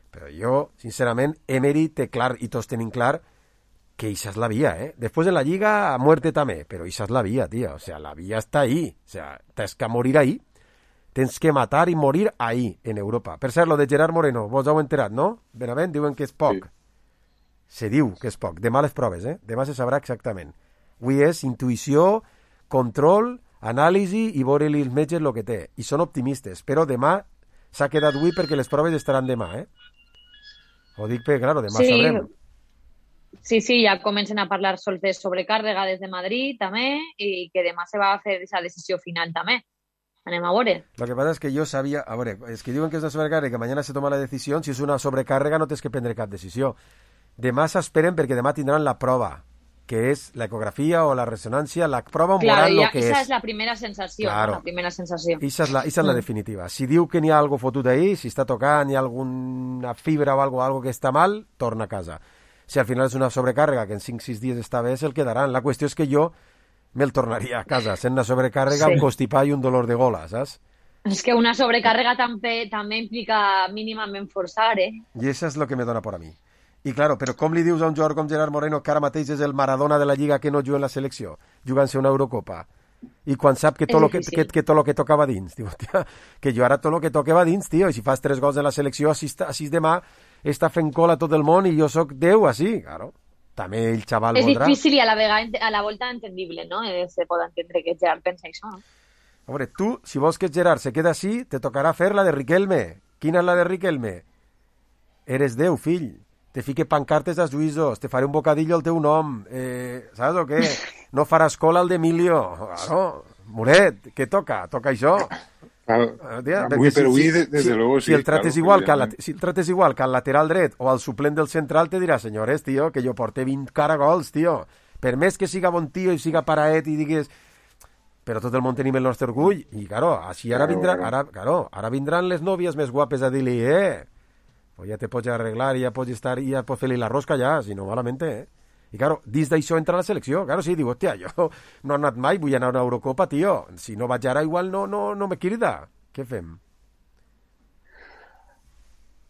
Però jo, sincerament, Emery té clar, i tots tenim clar, que esa es la vía, ¿eh? Después en la Lliga, a muerte també, però esa es la vía, tío. O sea, la vía está ahí. O sea, tens que morir ahí. Tens que matar i morir ahí, en Europa. Per cert, lo de Gerard Moreno, vos heu enterat, no? Benavent, diuen que és poc. Sí. Se diu que és poc. Demà les proves, eh? Demà se sabrà exactament. Avui és intuïció, control, anàlisi i veure-li els metges el que té. I són optimistes, però demà s'ha quedat avui perquè les proves estaran demà, eh? Ho dic perquè, claro, demà sí. sabrem. Sí, sí, ja comencen a parlar sols de sobrecàrrega des de Madrid també i que demà se va a fer aquesta decisió final també. Anem a veure. Lo que pasa es que yo sabía, a ver, es que diuen que és una sobrecàrrega i que mañana se toma la decisió, si és una sobrecàrrega no tens que prendre cap decisió. Demà s'esperen perquè demà tindran la prova, que és la ecografia o la resonància, la prova claro, moral ja, lo que esa és. Esa és la primera sensació, claro. la primera sensació. Esa és la, esa és la definitiva. Si diu que n'hi ha algo fotut ahí, si està tocant, hi ha alguna fibra o algo, algo que està mal, torna a casa. Si al final és una sobrecàrrega que en cinc sis dies està bé, se'l quedaran. La qüestió és que jo me'l tornaria a casa, sent una sobrecàrrega, sí. un constipat i un dolor de gola, saps? És que una sobrecàrrega també, també implica mínimament forçar, eh? I això és el que me dona por a mi. I claro, però com li dius a un jugador com Gerard Moreno que ara mateix és el Maradona de la Lliga que no juga en la selecció, jugant-se una Eurocopa, i quan sap que tot lo que, que, que, tot lo que tocava dins, diu, tia, que jo ara tot lo que toqueva dins, tio, i si fas tres gols en la selecció, així, així demà està fent cola tot el món i jo sóc Déu, així, claro. També el xaval és voldrà. És difícil i a la, vegada, a la volta entendible, no? Eh, se pot entendre que Gerard pensa això, no? A veure, tu, si vols que Gerard se queda així, te tocarà fer la de Riquelme. Quina és la de Riquelme? Eres Déu, fill. Te fique pancartes als juïsos, te faré un bocadillo al teu nom, eh, saps o què? No faràs cola al d'Emilio. Claro, Moret, què toca? Toca això. Claro, tia, avui, si, però avui, si, desde si, luego, sí. Si el trates claro, igual que al, si el trates igual que al lateral dret o al suplent del central, te dirà, senyores, tio, que jo porte vint caragols, tio. Per més que siga bon tio i siga paraet i digues... Però tot el món tenim el nostre orgull. I, claro, així ara, vindrà, ara, claro, ara vindran les nòvies més guapes a dir-li, eh, pues ja te pots arreglar i ja pots estar i ja pots fer-li la rosca ja, si no malament, eh. I, claro, dins d'això entra la selecció. Claro, sí, diu, hòstia, jo no he anat mai, vull anar a una Eurocopa, tio. Si no vaig ara, igual no, no, no me crida. Què fem?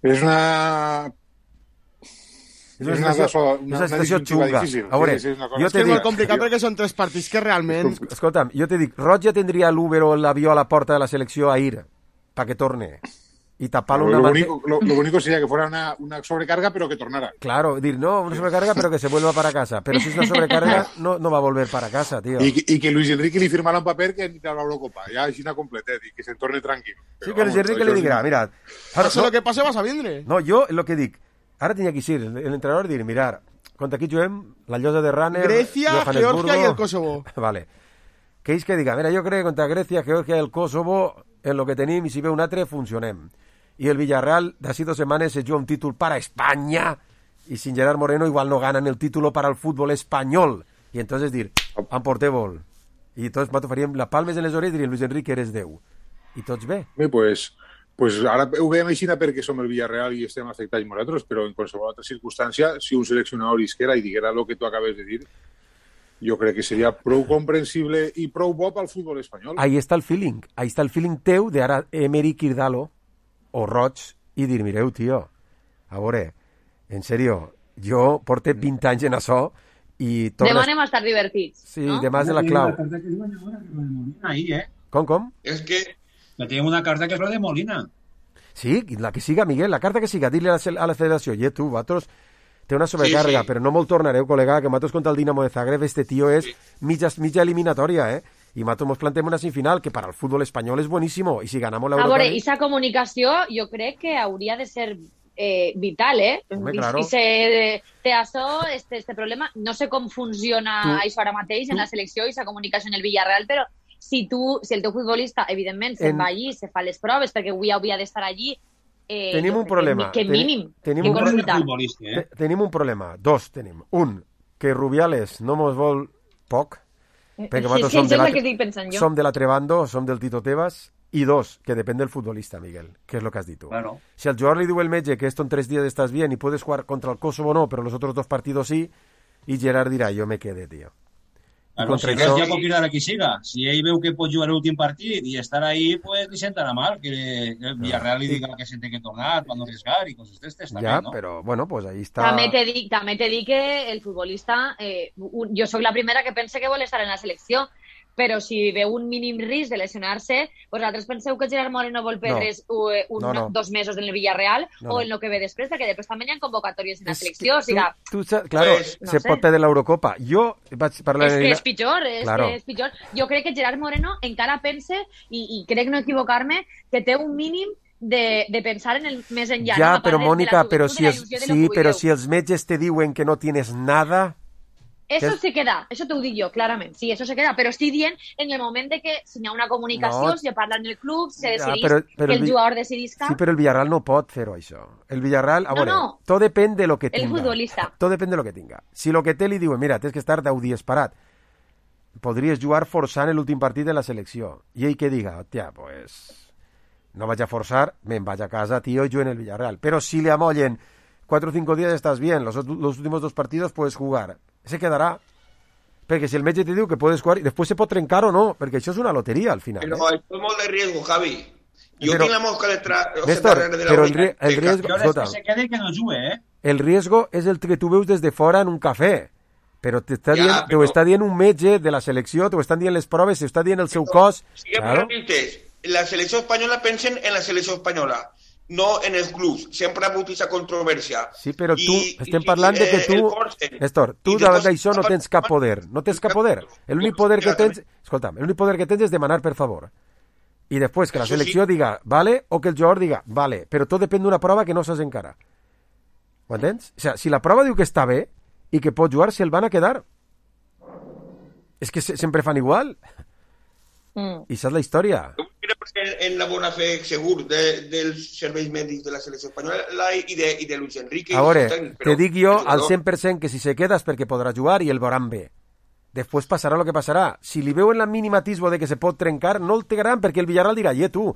És una... És una, una, situació, una, una situació xunga. A veure, sí, sí, jo és molt complicat perquè són tres partits que realment... Escolta'm, jo te dic, Roig ja tindria l'Uber o l'avió a la porta de la selecció a ir, pa que torne. Y taparlo lo, una... Lo único, lo, lo único sería que fuera una, una sobrecarga, pero que tornara. Claro, dir, no, una sobrecarga, pero que se vuelva para casa. Pero si es una sobrecarga, no, no va a volver para casa, tío. Y, y que Luis Enrique le firmara un papel que entra a la Eurocopa. Ya es una completet y que se torne tranquilo. Pero sí, que Luis Enrique le diga, mira... Ara, no, lo que pase vas a vindre. No, jo, lo que dic, ara tenia que ser l'entrenador dir, mirar, contra aquí juguem la llosa de Runner, Grecia, Georgia y el Kosovo. Vale. Que és que diga, mira, jo crec que contra Grecia, Georgia i el Kosovo, en lo que tenim, i si ve un altre, funcionem. I el Villarreal, d'ací dos setmanes, se juga un títol para España, i sin Gerard Moreno igual no ganan el título para el fútbol espanyol. I entonces dir, emporteu-vol. I tots faríem la palmes en les orelles i dirien, Luis Enrique, eres Déu. I tots bé. Bé, pues... Pues ara ho veiem així perquè som el Villarreal i estem afectats nosaltres, però en qualsevol altra circumstància, si un seleccionador isquera i diguera el que tu acabes de dir, jo crec que seria prou comprensible i prou bo pel futbol espanyol. Ahí està el feeling, ahí està el feeling teu d'ara Emery Kirdalo o Roig i dir, mireu, tio, a veure, en serio, jo porte vint anys en això i... Tornes... Demà anem a estar divertits, sí, no? demà és de la clau. Ahí, eh? Com, com? És que... Que tenim una carta que és la de Molina. Sí, la que siga, Miguel, la carta que siga, dir-li a, a la federació, i tu, vosaltres, té una sobrecarga, sí, sí. Però no me'l tornareu, col·lega, que vosaltres contra el Dinamo de Zagreb, este tío és sí. mitja, mitja eliminatòria, eh? I vosaltres mos plantem una semifinal, que para el fútbol espanyol és buenísimo, i si ganamos la Europa... A veure, aquesta comunicació jo crec que hauria de ser eh, vital, eh? Home, I, claro. I se té això, este, este problema, no sé com funciona tu, això ara mateix en tu. La selecció i la comunicació en el Villarreal, però si tu, si el teu futbolista, evidentment, se'n en... va allí, se fa les proves, perquè avui hauria d'estar allí, eh, tenim un problema. Que, que mínim, tenim, que un consultar. Eh? Tenim un problema, dos tenim. Un, que Rubiales no mos vol poc, perquè sí, sí, som, de la, que som de l'altre bando, som del Tito Tebas, i dos, que depèn del futbolista, Miguel, que és el que has dit tu. Claro. Si al jugador li diu el metge que esto en tres días estás bien y puedes jugar contra el Kosovo no, pero los otros dos partidos sí, y Gerard dirà, jo me quedé, tío. Claro, si res ja pot cridar a qui siga. Si ell veu que pot jugar l'últim partit i estar ahí, pues li sentarà mal que el Villarreal li diga que se té que tornar per no arriesgar i coses d'estes també, ja, no? però, bueno, pues ahí està... També te dic, també te dic que el futbolista... Eh, un, jo sóc la primera que pensa que vol estar en la selecció, però si veu un mínim risc de lesionar-se, vosaltres penseu que Gerard Moreno vol perdre's no. un, no, no. dos mesos en el Villarreal no, o no. en el que ve després, perquè després també hi ha convocatòries en la selecció. O sigui, tu, tu, claro, pues, no se sé. pot perdre l'Eurocopa. Jo vaig parlar... És que en... és pitjor, és claro. que és pitjor. Jo crec que Gerard Moreno encara pense, i, i crec no equivocar-me, que té un mínim de, de pensar en el més enllà. Ja, no? però Mònica, però si, els, sí, però si els metges te diuen que no tienes nada... Eso es... se queda, eso te ho dic jo, clarament. Sí, eso se queda, però estic dient en el moment de que si hi ha una comunicació, no. se parla en el club, se decidís ja, però, però que el, el jugador decidisca... Sí, però el Villarreal no pot fer-ho, això. El Villarreal, a no, veure, no. tot depèn de lo que el tinga. El futbolista. Tot depèn de lo que tinga. Si lo que té li diuen, mira, tens que estar deu dies parat, podries jugar forçant l'últim partit de la selecció. I ell que diga, hòstia, pues... no vaig a forçar, me'n vaig a casa, tío, yo en el Villarreal. Pero si le amollen cuatro o cinco días estás bien, los, los últimos dos partidos puedes jugar. Se quedarà. Perquè si el metge te diu que puedes jugar i després se pot trencar o no, perquè això és una loteria al final. Però eh? és molt de riesgo, Javi. Jo pero, tinc la mosca detrás. Néstor, de la pero el, ri el riesgo... Que se quede que no jugue, eh? El riesgo és el que tu veus des de fora en un cafè. Però t'ho ja, però... està dient un metge de la selecció, t'ho estan dient les proves, t'ho està dient el seu cos. Si claro. La selecció espanyola pensen en la selecció espanyola, no en els clubs. Sempre ha hagut aquesta controvèrsia. Sí, però tu, I, estem i, parlant de que tu... Eh, Néstor, tu davant d'això no tens cap poder. No tens cap poder. L'únic poder que tens... Escolta'm, l'únic poder que tens és demanar per favor. I després que la selecció sí. diga vale o que el jugador diga vale, però tot depèn d'una prova que no saps encara. Ho entens? O sigui, si la prova diu que està bé i que pot jugar, se'l van a quedar. És que se, sempre fan igual. Mm. I saps la història. En la bona fe segur de, dels serveis mèdics de la selecció espanyola i de, i de Luis Enrique. A veure, te dic jo al cent per cent que si se queda és perquè podrà jugar i el veuran bé. Després passarà el que passarà. Si li veuen la mínima atisbo de que se pot trencar, no el tregaran perquè el Villarreal dirà, i tu,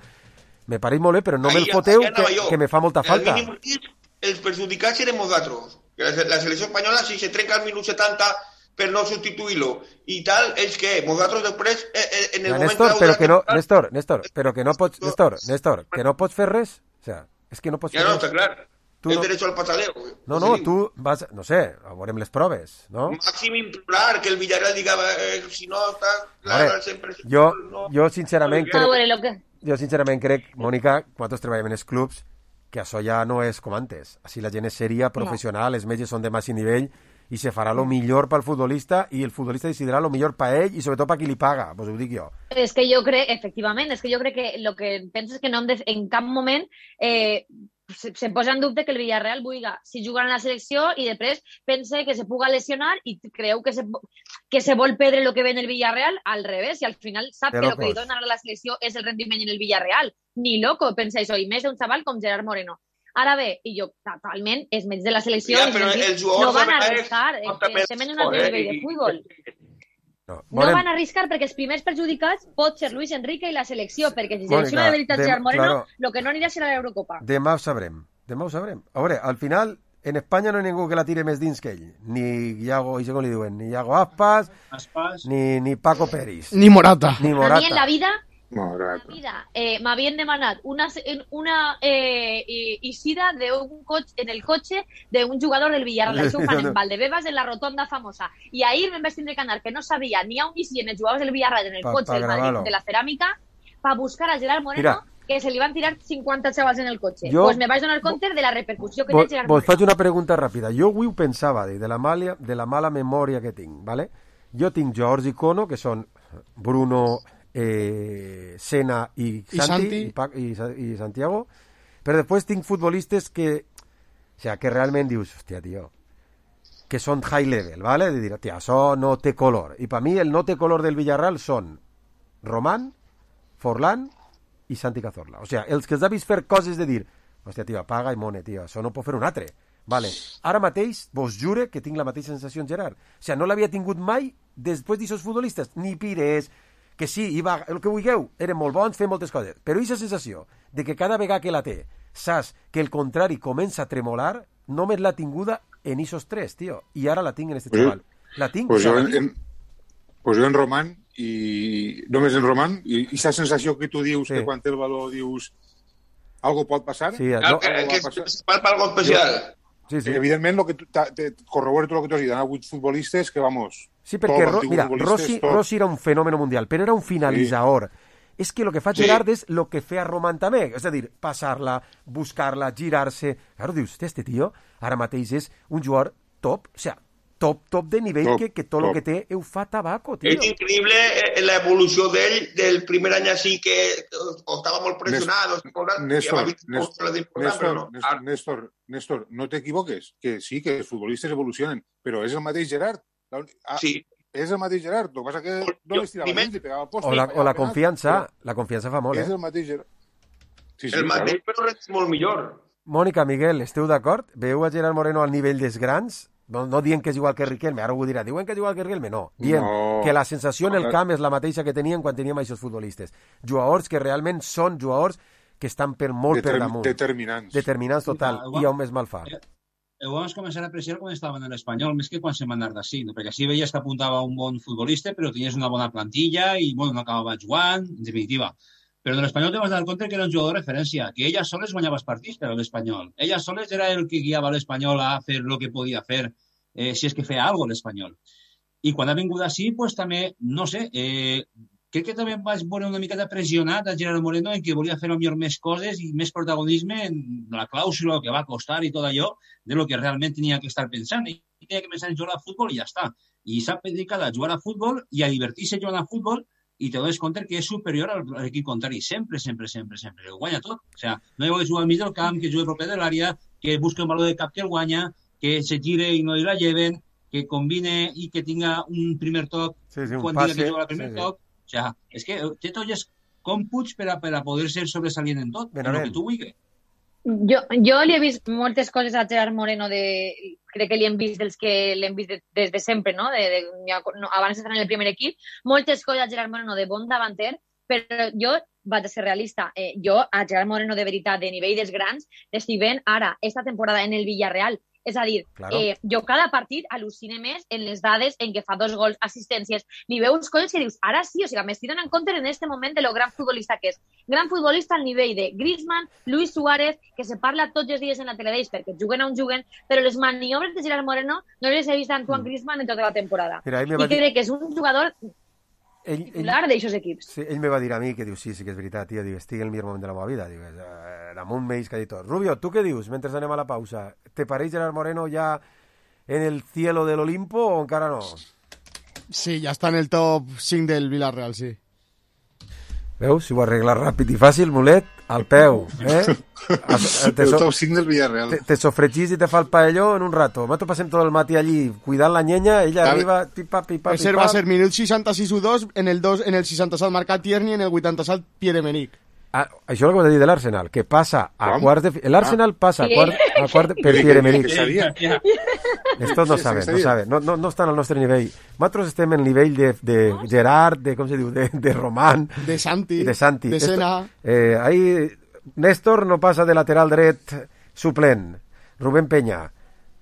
me pareix molt bé, però no me'l foteu que, que me fa molta falta. El mínim risc, els perjudicats serem nosaltres. La, la selecció espanyola, si se trenca al minut setanta per no substituir-lo i tal, és que nosaltres després eh, eh, en el ja, moment Néstor, però que no, Néstor, Néstor, però que no pots, Néstor, Néstor, que no pots fer res, o sea, és que no pots ja fer no, res. està clar, tu el no... derecho al pataleo. No, no, tu vas, no sé, veurem les proves, no? Màxim implorar que el Villarreal diga, eh, si no està clar, veure, sempre... Jo, no, jo sincerament crec, no, que... jo sincerament crec, Mònica, quan tots treballem en els clubs, que això ja no és com antes. Així la gent és sèria, professional, no. Els metges són de màxim nivell, i se farà lo millor pel futbolista i el futbolista decidirà lo millor per ell i sobretot per qui li paga, pues ho dic jo. És que jo crec, efectivament, és que jo crec que el que penso és que no hem de, en cap moment eh, se, se posa en dubte que el Villarreal vulga si jugar en la selecció i després pense que se puga lesionar i creu que se, que se vol perdre el que ve en el Villarreal al revés i al final sap que el que li dona a la selecció és el rendiment en el Villarreal. Ni loco pensa això, i més d'un xaval com Gerard Moreno. Ara bé, i jo totalment, els metges de la selecció ja, no van a arriscar, estem en un altre nivell de futbol. No, no van a arriscar perquè els primers perjudicats pot ser Luis Enrique i la selecció, perquè si selecciona de veritat Gerard Moreno, el que no anirà serà l'Eurocopa. Demà ho sabrem, demà ho sabrem. A veure, al final, en Espanya no hi ha ningú que la tire més dins que ell. Ni Iago, i com li diuen, ni Iago Aspas, Aspas. Ni, ni Paco Peris. Ni Morata. Ni Morata. A mi en la vida, Morata. en la vida eh, m'havien demanat una, una eh, eixida de un coche, en el cotxe d'un jugador del Villarreal. Això ho fan en Valdebebas, en la rotonda famosa. I ahir me'n vaig tindre que anar, que no sabia ni on eixien els jugadors del Villarreal en el Pa- cotxe pa del Madrid, gravar-lo. de la ceràmica, per buscar a Gerard Moreno, Mira. que se li van tirar cinquanta xavals en el cotxe. Jo- Pues me vaig donar compte de la repercussió que té Vos, Gerard vos Moreno. faig una pregunta ràpida. Jo avui ho pensava, de la, mala, de la mala memòria que tinc, ¿vale? Jo tinc jugadors icono, que són Bruno, eh, Sena i Santi, I Santi. I, Pa- i, Sa- i Santiago, però després tinc futbolistes que, o sea, que realment dius, hòstia, tio, que són high level, ¿vale? De dir, hòstia, això no té color. I per mi el no té color del Villarreal són Román, Forlán i Santi Cazorla. O sea, els que els ha vist fer coses de dir, hòstia, tio, apaga i mone, tio, això no pot fer un altre. Vale. Ara mateix vos jure que tinc la mateixa sensació en Gerard. O sea, no l'havia tingut mai després d'aquests futbolistes. Ni Pires, que sí, Iba, el que vulgueu, eren molt bons, feien moltes coses. Però aquesta sensació de que cada vegada que la té, saps que el contrari comença a tremolar, només l'ha tinguda en esos tres, tio. I ara la tinc en este Pues chaval. La tinc, Pues o sea, jo la en, tinc. en, pues jo en Román, i només en Román, i aquesta sensació que tu dius, Sí. que quan té el valor dius algo pot passar, Sí, algo no- Que, va que passar. es para algo especial. Sí, sí. Evidentment, lo que tu, ta, te corroboro tot el que tu has dit, han hagut futbolistes que, vamos... Sí, perquè, tots Ro, els mira, futbolistes, Rossi, tots. Rossi era un fenòmeno mundial, però era un finalitzador. És que el que fa Sí. Gerard és el que feia Román també, és a dir, passar-la, buscar-la, girar-se... Claro, dius, hòstia, este tio ara mateix és un jugador top, o sea, top, top de nivell Top, que, que tot el top. que té ho fa tabaco, tio. És increïble eh, la evolució d'ell del primer any així que eh, o estava molt pressionat, o estava Néstor, ja Néstor, Néstor, Néstor, no. Néstor, Néstor, Néstor, no t'equivoques, que sí, que els futbolistes evolucionen, però és el mateix Gerard. La, ah, Sí. És el mateix Gerard, el que passa que no Jo- les tirava primer- dins i pegava posta. O la, o la Penals, confiança, la confiança fa però molt, És eh? el mateix Gerard. Sí, sí, El mateix, claro. però és molt millor. Mònica, Miguel, esteu d'acord? Veieu a Gerard Moreno al nivell dels grans? No, no dient que és igual que Riquelme, ara ho dirà, diuen que és igual que Riquelme, no. Diem No. que la sensació en el No. camp és la mateixa que tenien quan teníem aquests futbolistes. Jugadors que realment són jugadors que estan per molt per Determ- damunt. Determinants. Determinants total. Sí, I on més mal fa. Ho vam començar a apreciar quan estàvem en l'Espanyol, més que quan se'n va anar d'ací, no? Perquè així veies que apuntava un bon futbolista, però tenies una bona plantilla i, bueno, no acabava jugant, en definitiva. Però en l'Espanyol te vas dar compte que era un jugador de referència, que ella soles guanyava els partits per a l'Espanyol. Ella soles era el que guiava l'Espanyol a fer el que podia fer, eh, si és que feia alguna cosa l'Espanyol. I quan ha vingut així, pues, també, no sé, eh, crec que també vaig veure una miqueta pressionat a Gerard Moreno en que volia fer millor més coses i més protagonisme en la clàusula que va costar i tot allò de lo que realment tenia que estar pensant. I tenia que pensar en jugar a futbol i ja està. I s'ha dedicat a jugar a futbol i a divertir-se jugant a futbol i te dones compte que és superior al a l'equip contrari. Sempre, sempre, sempre, sempre. Que guanya tot. O sigui, no hi ha que jugar al mig del camp, que jugui proper de l'àrea, que busqui un valor de cap que el guanya, que se gire i no li la lleven, que combine i que tinga un primer toc Sí, sí, un quan passe, diga que juga el primer sí, sí. toc. O sigui, és que té tots els còmputs per a, per a poder ser sobresalient en tot, en el Benavent. que tu vulguis. Jo, jo li he vist moltes coses a Gerard Moreno, de, crec que li hem vist dels que l'hem vist de, des de sempre, no? De, de, no abans d'estar en el primer equip. Moltes coses a Gerard Moreno de bon davanter, però jo vaig a ser realista. Eh, jo, a Gerard Moreno de veritat, de nivell dels grans, l'estic veient ara, esta temporada en el Villarreal. És a dir, Claro. eh, jo cada partit al·lucine més en les dades en què fa dos gols, assistències. Li veus coses que dius, ara sí, o sigui, m'estic donant compte en aquest moment de lo gran futbolista que és. Gran futbolista al nivell de Griezmann, Luis Suárez, que se parla tots els dies en la teledeix perquè juguen on juguen, però les maniobres de Gerard Moreno no les he vist a Antoine Griezmann en tota la temporada. Mira, ell me I va dir- crec que és un jugador Ell, ell, titular d'aixòs equips. sí, ell me va dir a mi que diu, sí, sí que és veritat, tio, diu, estic en el millor moment de la meva vida. Diu, eh, damunt m'eix que ha dit tot. Rubio, tu què dius mentre anem a la pausa? Te pareix Gerard Moreno ja en el cielo del Olimpo o encara no? Sí, ja està en el top cinc del Villarreal, sí. Veus? Si ho arregles ràpid i fàcil, mulet, al peu, eh? Te, El so, top cinc del Villarreal. te, te sofregís i te fa el paelló en un rato. Nosaltres passem tot el matí allí cuidant la nyenya, ella Clar, arriba, pipa, pipa, Va ser, pipa. va ser minut seixanta-sis u dos, en el, dos, en el seixanta-set marcat Tierney, en el vuitanta-set Pierre-Emerick. Ah, això és el que vas dir de l'Arsenal, que passa a Com? quarts de... fi- L'Arsenal passa a Sí. quart, a quart de... per Sí, Pierre-Emerick. que sabia. Estos no Sí, sí, saben, no sabia. saben, no, no, no estan al nostre nivell. Nosaltres estem en nivell de, de Gerard, de, com se diu, de, de Román, de Santi, de Santi. de Esto- Sena. eh, ahí Néstor no passa de lateral dret suplent. Rubén Peña,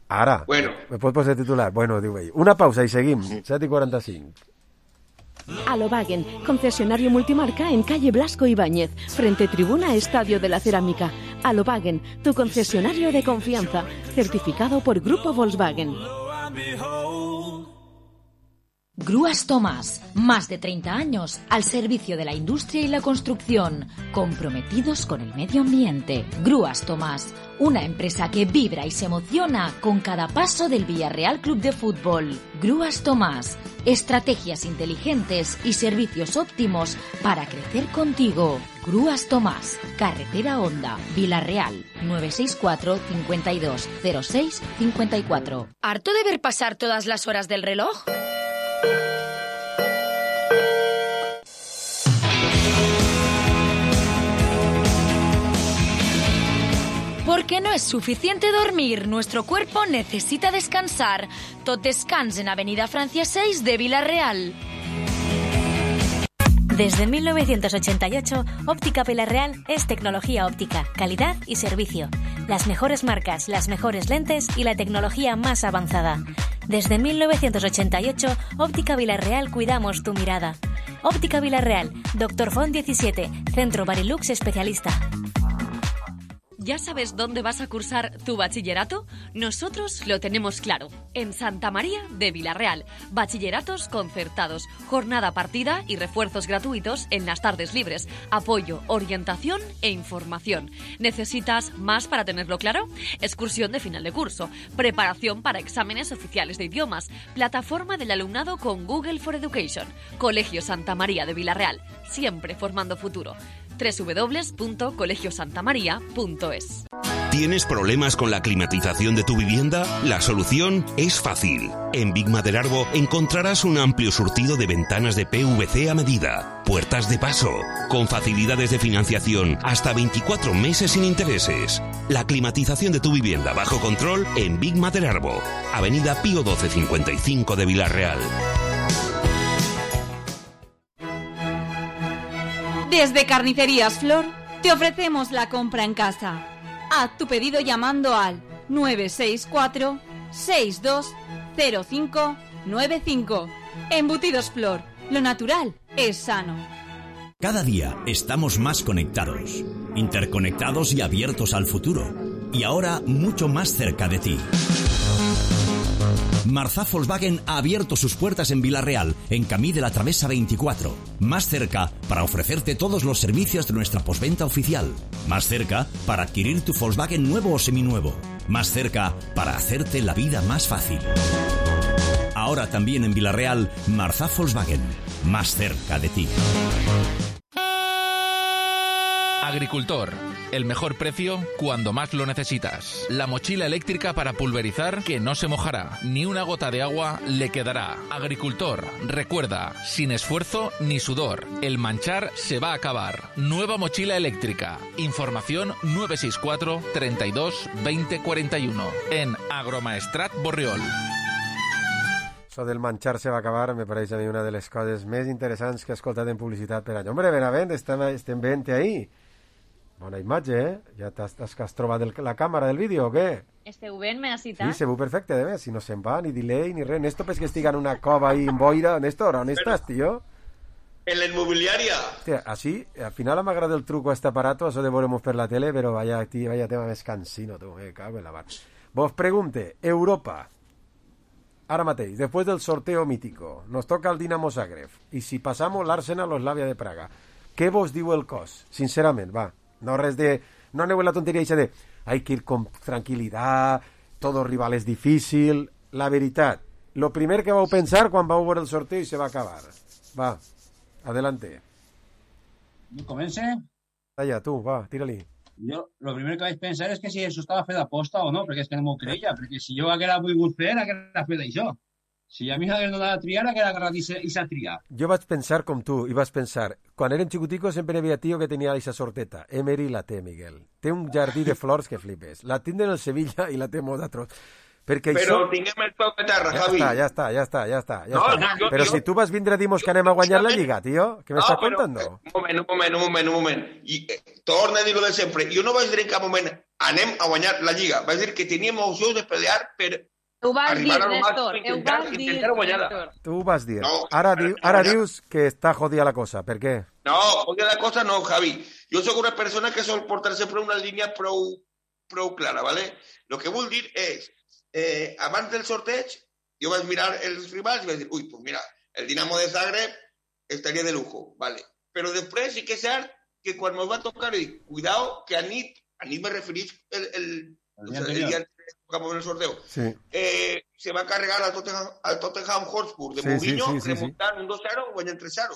Ara. Bueno. Me pots posar titular? Bueno, diu ell. Una pausa i seguim. set i quaranta-cinc. Alobagen, concesionario multimarca en calle Blasco Ibáñez, frente tribuna Estadio de la Cerámica. Alobagen, tu concesionario de confianza, certificado por Grupo Volkswagen. Grúas Tomás, más de treinta años al servicio de la industria y la construcción, comprometidos con el medio ambiente. Grúas Tomás, una empresa que vibra y se emociona con cada paso del Villarreal Club de Fútbol. Grúas Tomás, estrategias inteligentes y servicios óptimos para crecer contigo. Grúas Tomás, carretera Honda, Villarreal, nueve seis cuatro, cincuenta y dos, cero seis, cincuenta y cuatro. ¿Harto de ver pasar todas las horas del reloj? Porque no es suficiente dormir, nuestro cuerpo necesita descansar. Tot descans en Avenida Francia seis de Villarreal. Desde mil novecientos ochenta y ocho, Óptica Villarreal es tecnología óptica, calidad y servicio. Las mejores marcas, las mejores lentes y la tecnología más avanzada. Desde mil novecientos ochenta y ocho, Óptica Villarreal cuidamos tu mirada. Óptica Villarreal, Doctor Font diecisiete, Centro Barilux Especialista. ¿Ya sabes dónde vas a cursar tu bachillerato? Nosotros lo tenemos claro. En Santa María de Villarreal. Bachilleratos concertados, jornada partida y refuerzos gratuitos en las tardes libres. Apoyo, orientación e información. ¿Necesitas más para tenerlo claro? Excursión de final de curso. Preparación para exámenes oficiales de idiomas. Plataforma del alumnado con Google for Education. Colegio Santa María de Villarreal. Siempre formando futuro. doble u doble u doble u punto colegio santa maría punto es. ¿Tienes problemas con la climatización de tu vivienda? La solución es fácil. En Big Maderarbo encontrarás un amplio surtido de ventanas de P V C a medida, puertas de paso, con facilidades de financiación hasta veinticuatro meses sin intereses. La climatización de tu vivienda bajo control en Big Maderarbo, Avenida Pío doce cincuenta y cinco de Villarreal. Desde Carnicerías Flor te ofrecemos la compra en casa. Haz tu pedido llamando al nueve seis cuatro, seis dos cero cinco nueve cinco. Embutidos Flor, lo natural es sano. Cada día estamos más conectados, interconectados y abiertos al futuro. Y ahora mucho más cerca de ti. Marzá Volkswagen ha abierto sus puertas en Villarreal, en Camí de la Travesa veinticuatro. Más cerca para ofrecerte todos los servicios de nuestra postventa oficial. Más cerca para adquirir tu Volkswagen nuevo o seminuevo. Más cerca para hacerte la vida más fácil. Ahora también en Villarreal, Marzá Volkswagen. Más cerca de ti. Agricultor, el mejor precio cuando más lo necesitas. La mochila eléctrica para pulverizar que no se mojará, ni una gota de agua le quedará. Agricultor, recuerda, sin esfuerzo ni sudor, el manchar se va a acabar. Nueva mochila eléctrica. Información nueve seis cuatro, treinta y dos, veinte cuarenta y uno en Agromaestrat Borriol. Això del manchar se va acabar me pareix a mi una de les coses més interessants que he escoltat en publicitat per any. Hombre, Benavent, estem, estem veient ahí. Bona imatge, eh? Ja t'has, que has trobat el, la càmera del vídeo o què? Esteu veient, me ha citat? Sí, se veu perfecte, de més. Si no se'n va, ni delay, ni res. Néstor, pues que estigui en una cova ahí en boira. Néstor, on estàs, tio? En la inmobiliaria. Hòstia, així, al final m'agrada el truco a este aparato, això de veuremos per la tele, però vaya, tío, vaya tema més cansino, tu, me cago en la mar. Vos pregunte, Europa, ara mateix, después del sorteo mítico, nos toca el Dinamo Zagreb, y si pasamos l'Arsenal o Slavia de Praga, què vos diu el cos? Sincerament, va. No res de... No aneu en la tonteria eixa de hay que ir con tranquilidad, todo rival es difícil. La veritat, lo primer que vau pensar quan vau veure el sorteo i se va acabar. Va, adelante. ¿Comencé? Allá, tú, va, tira-li. Yo lo primero que vais a pensar es que si eso estaba fet aposta o no, perquè és que no m'ho creia, perquè si jo haguera volgut fer, haguera fet això. Si a mi hagués donat a triar, haguera agarrat i s'ha triat. Jo vaig pensar com tu, i vaig pensar, quan érem xicoticos sempre havia tio que tenia aquesta sorteta. Emery la té, Miguel. Té un jardí de flors que flipes. La tindre en el Sevilla i la té molt atroç. Perquè Però això... tinguem el peu de terra, ja Javi. Està, ja està, ja està, ja està. Ja no, està. jo, Però jo... si tu vas vindre a dir-nos que anem a guanyar la Lliga, tio, què m'estàs però, contando? Un moment, un moment, un moment, un moment. I, eh, torna a dir-ho de sempre. Jo no vaig dir en cap moment anem a guanyar la Lliga. Va dir que teníem opcions de pelear per Ho vas dir, arribar al Néstor, màxim, ho intentar, vas dir, intentar guanyar-la. Néstor. Tu ho vas dir. No, Ara, diu, ara dius que està jodida la cosa. Per què? No, oye la cosa no, Javi. Jo sóc una persona que sol portar sempre una línia prou, prou clara, ¿vale? Lo que vull dir és, eh, abans del sorteig, jo vaig mirar els rivals i vaig dir, ui, pues mira, el Dinamo de Zagreb estaria de lujo, ¿vale? Però després sí que és cert que quan ens va tocar, dic, cuidado, que a nit, a nit me referís el, el, el, día, el día que tocamos el sorteo, sí. eh, se va a carregar al Tottenham, al Tottenham Hotspur de sí, Mourinho, sí, sí, sí, remuntant sí. un dos cero, guanyant tres cero.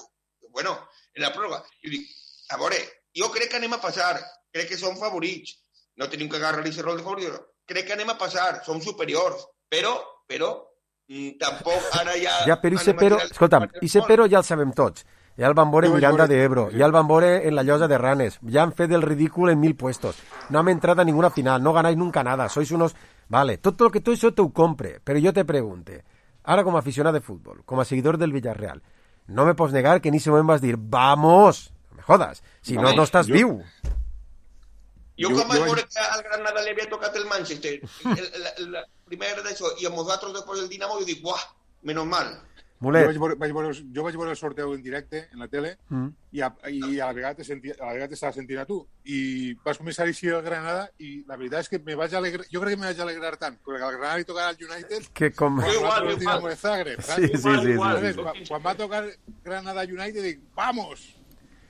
Bueno, en la pròrroga. I dic, a veure, jo crec que anem a passar, crec que som favorits, no tenim que agarrar aquest rol de favorits, crec que anem a passar, som superiors, però, però, mm, tampoc ara ja... Ja, però i se però, escolta'm, i se però ja el sabem tots. Ja el van veure en Miranda de Ebro, ja el van veure en la Llosa de Ranes, ya han fet el ridículo en mil puestos, no han entrado a ninguna final, no ganáis nunca nada, sois unos... Vale, tot lo que todo eso te ho compre, pero yo te pregunte, ara com a aficionat de futbol, com a seguidor del Villarreal, no me pots negar que en ese moment vas dir, vamos, no me jodas, si no, no estàs viu. Jo quan vaig veure que al Granada li havia tocat el Manchester, el, el, el primer d'això, i a nosaltres després del Dinamo, jo dic, buah, menos mal. Mulet. Jo vaig, veure, vaig veure, jo vaig veure el sorteu en directe en la tele mm. i, a, i a la vegada t'estava sentint a tu i vas començar així el Granada i la veritat és que me vaig alegrar, jo crec que me vaig alegrar tant perquè al Granada li tocarà al United que com... quan va tocar el Dinamo de Zagreb sí, sí, sí, sí, sí. Quan, quan va tocar Granada United dic, vamos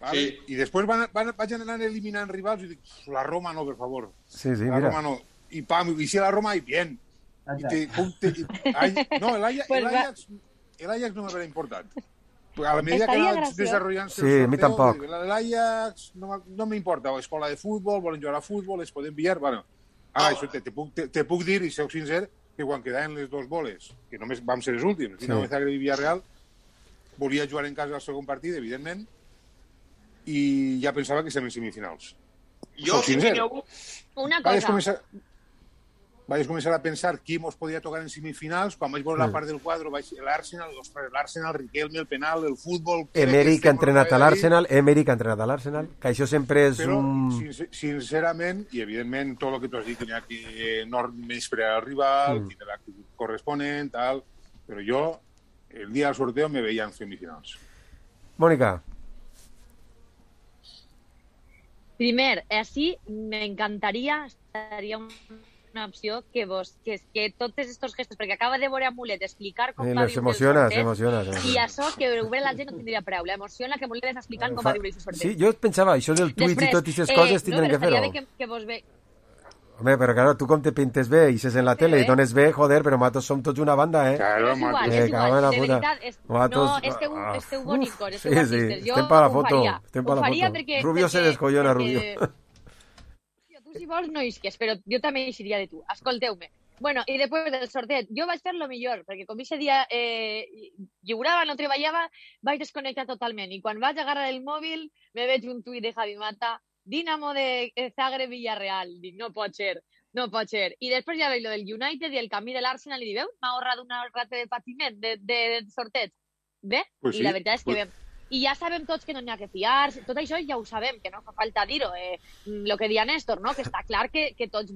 vale? Sí. I després van, van, vaig anar eliminant rivals i dic, la Roma no, per favor sí, sí, la mira. Roma no, i pam, i si la Roma i bien i te, te, i, ay, no, el Ajax, el Ajax el Ajax no m'haurà importat. A la medida que va desarrollant-se sí, el sorteo, l'Ajax no, no m'importa, escola de futbol, volen jugar a futbol, es poden pillar, bueno, ara, això te, te, puc, te, te puc dir, i sóc sincer, que quan quedaven les dos boles, que només vam ser els últims, Dinamo de Zagreb i Villarreal, volia jugar en casa al segon partit, evidentment, i ja pensava que estem en semifinals. Jo, si tingueu una cosa... Vaig començar... vaig començar a pensar qui mos podia tocar en semifinals, quan vaig veure mm. la part del quadre, l'Arsenal, l'Arsenal, Riquelme, el penal, el futbol... Emery que ha entrenat a l'Arsenal, Emery que ha entrenat a l'Arsenal, que això sempre és però, un... Però, sincerament, i evidentment, tot el que tu has dit, que n'hi ha que no menysprear el rival, mm. que l'actitud corresponent, tal, però jo, el dia del sorteo, me veia en semifinals. Mónica. Primer, así me encantaría, estaría un... una opció que vos, que, que tots estos gestos, perquè acaba de veure a Mulet explicar com eh, va viure emociona, el sorteig, emociona, emociona. i això que veure la gent no tindria preu, l'emoció en la que Mulet està explicant com va viure el sorteig. Sí, jo pensava, això del tuit i totes aquestes eh, coses tindran no, que fer-ho. Que, que vos ve... Home, però claro, tu com te pintes bé i ses en la tele i dones bé, joder, però nosaltres som tots una banda, eh? Claro, és igual, eh, és igual, de puta. veritat, és... Matos... no, esteu, esteu bonicos, esteu sí, artistes, sí, jo estem per la ho foto, faria, estem per ho la faria foto. perquè... Rubio perquè, se descollona, perquè... Rubio. Tu si vols no isques, però jo també eixiria de tu. Escolteu-me. Bueno, i després del sorteig, jo vaig fer lo millor, perquè com aquest dia eh, lliurava, no treballava, vaig desconnectar totalment. I quan vaig agarrar el mòbil, me veig un tuit de Javi Mata, Dinamo de Zagreb Villarreal. Dic, no pot ser, no pot ser. I després ja veig lo del United i el camí de l'Arsenal i dic, veu, m'ha ahorrat una rata de patiment de, de, de sorteig. Bé? Pues I sí, la veritat és que pues... bé. I ja sabem tots que no n'hi ha que fiar, tot això ja ho sabem, que no fa falta dir-ho, eh, el que dia Néstor, no? Que està clar que, que tots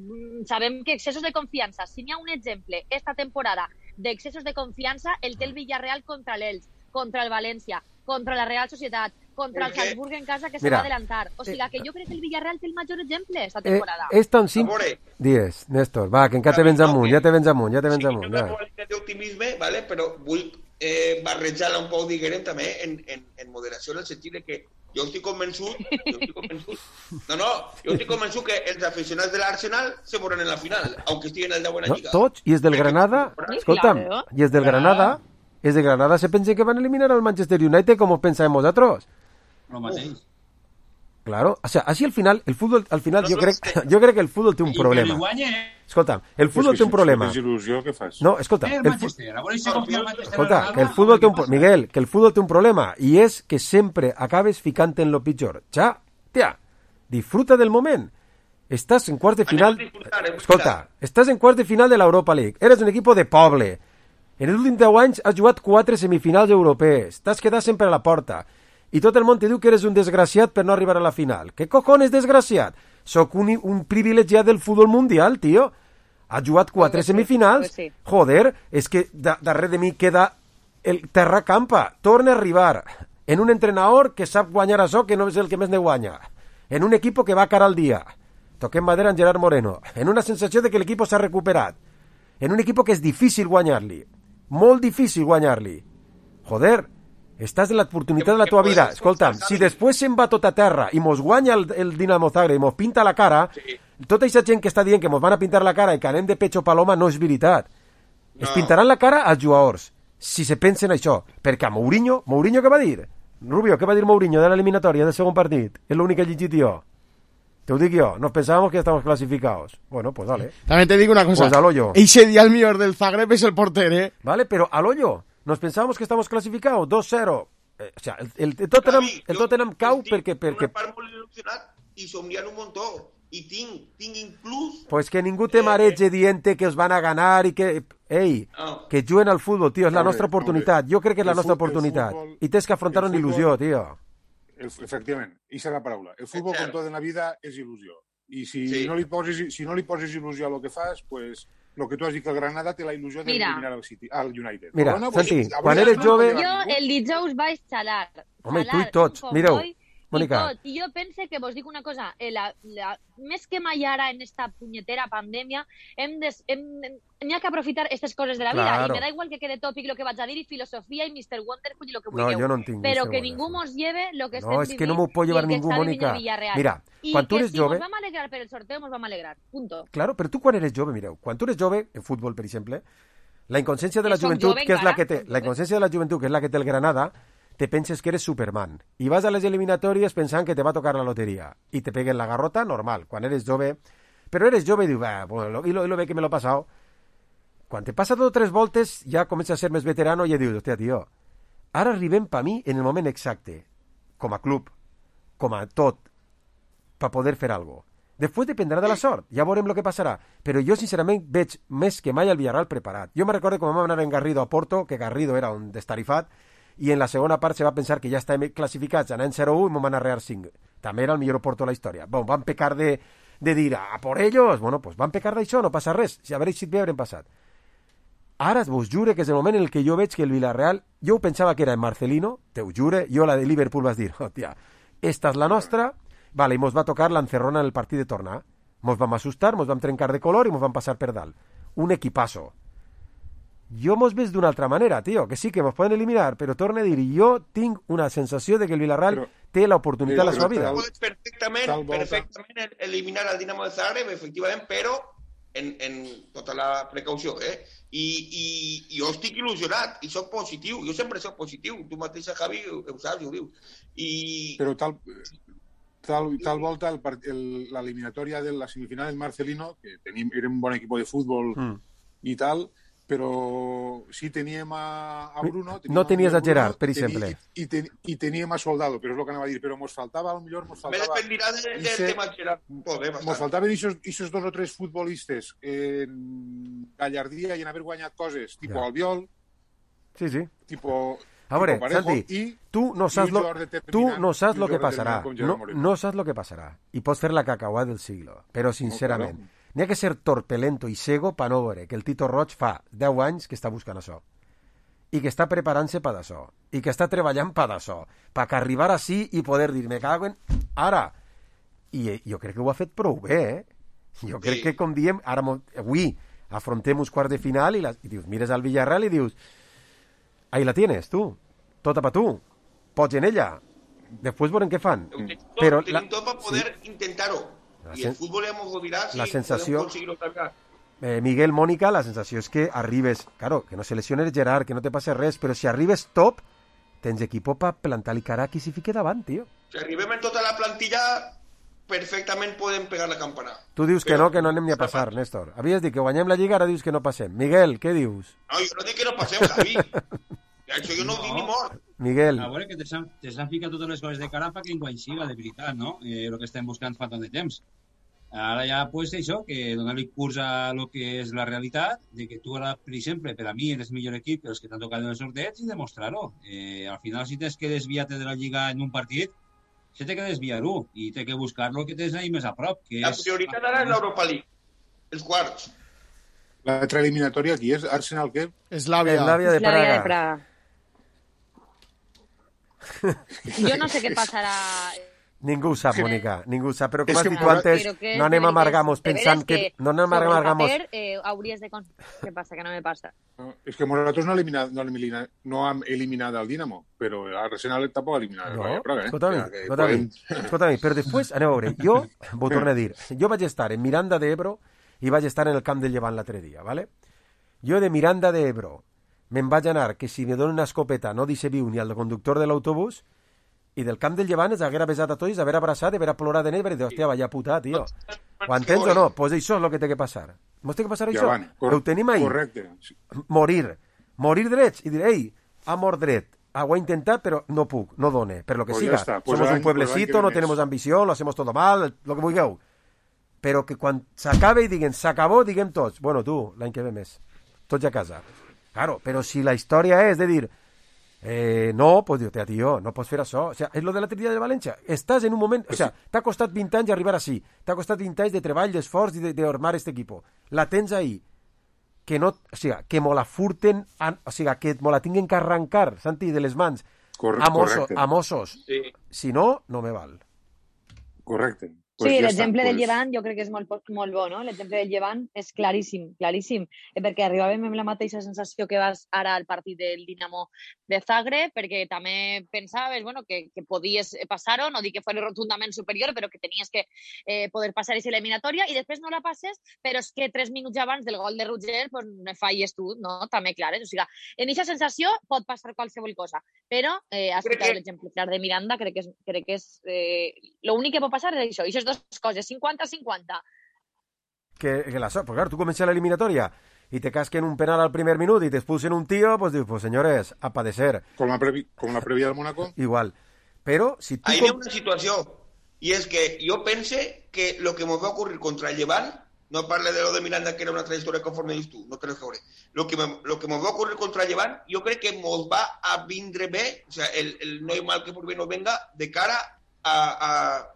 sabem que excessos de confiança, si n'hi ha un exemple esta temporada d'excessos de confiança, el té el Villarreal contra l'Elx, contra el València, contra la Real Societat, contra el Salzburg en casa que se va adelantar. O sigui, que jo crec que el Villarreal té el major exemple esta temporada. Eh, és tan simple... Dies, Néstor, va, que encara te vens amunt, ja te vens amunt, ja te vens amunt. Sí, no tinc d'optimisme, vale? Però vull eh, barrejar-la un poc, diguem, també en, en, en moderació, en el sentit de que jo estic convençut, jo estic convençut, no, no, jo estic convençut que els aficionats de l'Arsenal se veuran en la final, aunque estiguen en el deu en la Lliga. No, tots, i els del Granada, escolta'm, i els del Granada, els de Granada se pensen que van eliminar al Manchester United com ho pensàvem vosaltres. Lo mateix. Claro, o sea, así al final, el fútbol, al final, yo creo, yo creo que el fútbol tiene un problema. Escolta, el fútbol té un problema. No, escolta, el, escolta, que el fútbol té un Miguel, que el fútbol té un problema i és que sempre acabes ficant en lo pitjor. Ja, tia, disfruta del moment. Estàs en quart de final. Escolta, estàs en quart de final de l'Europa League. Eres un equip de poble. En els últims deu anys has jugat quatre semifinals europees. T'has quedat sempre a la porta. I tot el món te diu que eres un desgraciat per no arribar a la final. ¿Qué cojones desgraciat? Soc un, un privilegiat del futbol mundial, tio. Ha jugat quatre Pues sí, semifinals. pues sí. Joder, és que da, darrere de mi queda el terra campa. Torna a arribar en un entrenador que sap guanyar això, que no és el que més ne guanya. En un equip que va cara al dia. Toquem madera en Gerard Moreno. En una sensació de que l'equip s'ha recuperat. En un equip que és difícil guanyar-li. Molt difícil guanyar-li. Joder, estàs en l'oportunitat de la tua vida. Escolta'm, si després se'n va tot a terra i mos guanya el, el Dinamo Zagreb i mos pinta la cara, sí. Tota aquesta gent que està dient que mos van a pintar la cara i que anem de pecho paloma no és veritat. No. Es pintaran la cara als jugadors, si se pensen això. Perquè a Mourinho, Mourinho què va dir? Rubio, què va dir Mourinho de l'eliminatòria del segon partit? És l'únic que he llegit jo. Te ho dic jo, nos pensábamos que estamos clasificados. Bueno, pues dale. También te digo una cosa. Pues al hoyo. Ese día el mejor del Zagreb es el portero, ¿eh? Vale, pero al hoyo. Nos pensábamos que estamos clasificados. dos cero. Eh, o sea, el, el, el Tottenham, el Tottenham cau perquè... perquè... Una part molt il·lusionat i somniant un muntó. I tinc, tinc inclús... Pues que ningú te mareje dient que os van a ganar i que... Ei, no. que juguen al futbol, tio, és la nostra oportunitat. Jo crec que és la El nostra futbol- oportunitat. el futbol- I tens que afrontar el una il·lusió, futbol- tio. El, efectivament, aquesta és la paraula. El futbol, com tot en la vida, és il·lusió. I si, Sí. no li poses, si no li poses il·lusió a lo que fas, pues, lo que tu has dit que el Granada té la il·lusió Mira. d'eliminar al City, al United. Mira, Però no, Santi, pues, quan avui eres no jove- pot llevar Jo ningú. el dijous vaig xalar. Home, i tu xalar i tots. un Mireu, comboi Mònica. I, tot. I jo pense que vos dic una cosa, eh, la, la, més que mai ara en esta punyetera pandèmia, hem de, hem, n'hi ha que aprofitar aquestes coses de la vida. Claro. I me da igual que quede tòpic lo que vaig a dir, i filosofia, i mister Wonderful, i lo que No, vulgueu. jo no en tinc, Però mister que Wonderful. ningú mos lleve lo que No, estem és que vivint no m'ho pot llevar i el que ningú, està vivint Mònica. el Villarreal. Mira, I quan tu que eres si jove- mos vam alegrar per el sorteo, mos vam alegrar. Punto. Claro, però tu quan eres jove, mireu, quan tu eres jove, en futbol, per exemple, la inconsciència de la Que soc joventut, jove que és la encara, que té, soc la inconsciència de la joventut, que és la que té el Granada, te penses que eres Superman. I vas a les eliminatòries pensant que te va a tocar la loteria. I te peguen la garrota, normal. Quan eres jove... Però eres jove i dius, va, bueno, y lo, y lo ve que me lo he pasado. Quan te passa dos o tres voltes, ja comença a ser més veterano i ja dius, hòstia, tio, ara arribem per mi en el moment exacte, com a club, com a tot, per poder fer algo. Després dependrà de la sort, ja veurem el que passarà. Però jo, sincerament, veig més que mai el Villarreal preparat. Jo me recordo quan vam anar en Garrido a Porto, que Garrido era un destarifat, i en la segona part se va pensar que ja estàvem classificats anant zero u i m'ho van arrear cinc. També era el millor Porto de la història. Bon, van pecar de, de dir, a por ellos, bueno, pues van pecar d'això, no passa res. Si haver eixit bé haurem passat. Ara vos jure que és el moment en el que jo veig que el Villarreal, jo pensava que era en Marcelino, te ho jure, jo la de Liverpool vas dir, hòstia, esta és la nostra, vale, i mos va tocar l'encerrona en el partit de tornar. Mos vam assustar, mos vam trencar de color i mos vam passar per dalt. Un equipasso. Jo mos veig d'una altra manera, tio, que sí que mos poden eliminar, però torno a dir, jo tinc una sensació de que el Villarreal però, té l'oportunitat a la seva vida. Puedes perfectament, perfectament eliminar el Dinamo de Zagreb, efectivament, però en, en tota la precaució, eh? I, i, i jo estic il·lusionat, i soc positiu, jo sempre soc positiu, tu mateixa, Javi, ho saps, ho dius. I... Però tal, tal, tal volta el part- el- l'eliminatòria de la semifinal del Marcelino, que tenim, era un bon equip de futbol Mm. i tal, però sí teníem a, a Bruno... Teníem No tenies a Bruno, Gerard, per teni- exemple. I, i, ten, I teníem a Soldado, però és el que anava a dir, però mos faltava, a lo millor mos Me faltava... dependirà de, del Ixe- tema Gerard. Poder Mos passar. faltaven aquests dos o tres futbolistes en gallardia i en haver guanyat coses, tipo Ja. Albiol, Sí, sí. tipo... A veure, tipo Parejo, Santi, i, tu no i saps un lo, jugador tu determinant, no saps un lo que jugador passarà. determinant com Gerard No, Moreno. no saps lo que passarà. I pots fer la cacauà del siglo. Però, sincerament, claro. n'hi ha que ser torpelento i cego per no veure que el Tito Roig fa deu anys que està buscant això. I que està preparant-se per d'això. I que està treballant per d'això. Per que arribar així i poder dir, me cago en... Ara. I eh, jo crec que ho ha fet prou bé, eh? Jo crec Sí. que, com diem, ara, mo- avui afrontem uns quarts de final i, la, i dius, mires al Villarreal i dius, ahí la tienes, tu. Tota per tu. Pots en ella. Després veurem què fan. Tenim tot, Però tenim tot per poder sí. intentar-ho. La I el sen- futbol ja m'ho dirà si la sensació- podem aconseguir-ho també. Eh, Miguel, Mónica, la sensació és que arribes, claro, que no se lesione el Gerard, que no te passe res, però si arribes top, tens equipo per plantar-li cara a qui s'hi fique davant, tio. Si arribem en tota la plantilla, perfectament podem pegar la campana. Tu dius que no, que no anem ni a passar, Néstor. Havies dit que guanyem la Lliga, ara dius que no passem. Miguel, què dius? No, jo no dic que no passem, Javi. Això jo no ho dic ni mort. Miguel. A veure que te s'han te s'han ficat totes les coses de cara perquè enguany siga, de veritat, no? Eh, el que estem buscant fa tant de temps. Ara ja, pues, això, que donar-li curs a lo que és la realitat, de que tu ara, per exemple, per a mi eres millor equip que els que t'han tocat en els sorteig i demostrar-ho. Eh, al final, si tens que desviar-te de la Lliga en un partit, se té que desviar-ho i té que buscar el que tens ahí més a prop. Que La és... prioritat ara és l'Europa League, els quarts. L'altra eliminatòria aquí és Arsenal, què? Eslàvia. Eslàvia de Eslàvia de Praga. Praga. Jo no sé què passarà. Ningú ho sap, Mònica, ningú ho sap, però com És has que dit tu m'ho- antes, Però que no anem a és- amargamos de veres pensant que... que No anem a sobre el amargamos... paper, eh, hauries de... cons- Què passa? Que no me passa. No, és que nosaltres no, eliminat, no, elimina, no hem eliminat el Dinamo, però Arsenal tampoc ha eliminat el No, Rayo Praga, eh? escolta-mi, O sea, que escolta-mi, podem- escolta-mi, però després, aneu a veure, jo, vos torno a dir, jo vaig estar en Miranda de Ebro i vaig estar en el camp del Llevant l'altre dia, ¿vale? Jo de Miranda de Ebro me'n vaig anar, que si me donen una escopeta no dice viu ni al conductor de l'autobús, i del camp del Llevant els haguera besat a tots, haver abraçat, haver plorat en ell, i dir, hòstia, vaya puta, tio. Ho entens o no? Pues això és el que té que passar. Mos té que passar això. Llevant, cor- Ho tenim ahí. Correcte. Morir. Morir drets. I dir, ei, ha mort dret. Ah, ho he intentat, però no puc, no done, per lo que Pues siga. ya está. Pues Somos l'any- un pueblecito, pues l'any que no ve tenemos més. ambición, lo hacemos todo mal, lo que vulgueu. Però que quan s'acabe i diguen, s'acabó, diguem tots, bueno, tu, l'any que ve més. Tots a casa. Claro, però si la història és de dir, eh, no, pues diu, tio, no pots fer això. O sea, és lo de l'altre dia de València. Estàs en un moment... O sea, t'ha costat vint anys arribar així. T'ha costat vint anys de treball, d'esforç i de, de armar este equipo. La tens ahí. Que no... O sigui, que me la furten... an- O sigui, que me la tinguin que arrencar, Santi, de les mans. Corre- a Mossos. correcte. A Mossos. Sí. Si no, no me val. Correcte. Sí, Pues ja l'exemple està, del pues- Llevant jo crec que és molt, molt bo, no? L'exemple del Llevant és claríssim, claríssim, eh, perquè arribàvem amb la mateixa sensació que vas ara al partit del Dinamo de Zagreb, perquè també pensaves, bueno, que, que podies passar-ho, no dic que fos rotundament superior, però que tenies que eh, poder passar aquesta eliminatòria, i després no la passes, però és que tres minuts abans del gol de Roger, pues, no falles tu, no? També, clar, eh? O sigui, en aquesta sensació pot passar qualsevol cosa, però eh, has Crec citat que- l'exemple clar de Miranda, crec que és, crec que és eh, l'únic que pot passar és això, i dos coses, cinquanta cinquanta. Que, que la so... Pues claro, tú comienzas la eliminatoria y te casquen un penal al primer minuto y te expulsen un tío, pues digo, pues señores, a padecer. Com la, previ, com la prèvia del Mónaco? Igual. Pero si tú... Ahí com- ve una situació, i és que jo pense que lo que me va ocurrir contra el Llevant, no parle de lo de Miranda, que era una trayectoria conforme dius tu, no te lo veure. Lo que, me, lo que me va ocurrir contra el Llevant, jo crec que mos va a vindre bé, o sea, el, el no hay mal que por bien no venga, de cara a, a,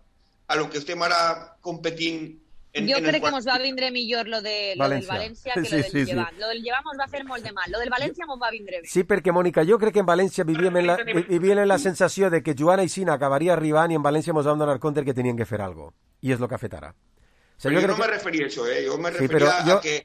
a lo que estem ara competint en, Jo en el crec que quart. ens va vindre millor lo, de, lo del València. València que Sí, lo del sí, sí. Llevant. Lo del Llevant ens va fer molt de mal. Lo del València ens va vindre bé. Sí, perquè, Mònica, jo crec que en València vivíem en la, vivíem en la sensació de que Joan Aixina acabaria arribant i en València ens vam donar compte que tenien que fer alguna cosa. I és el que ha fet ara. O sea, Però jo crec no me que... referia a això, eh? Jo me Sí, referia però jo... a que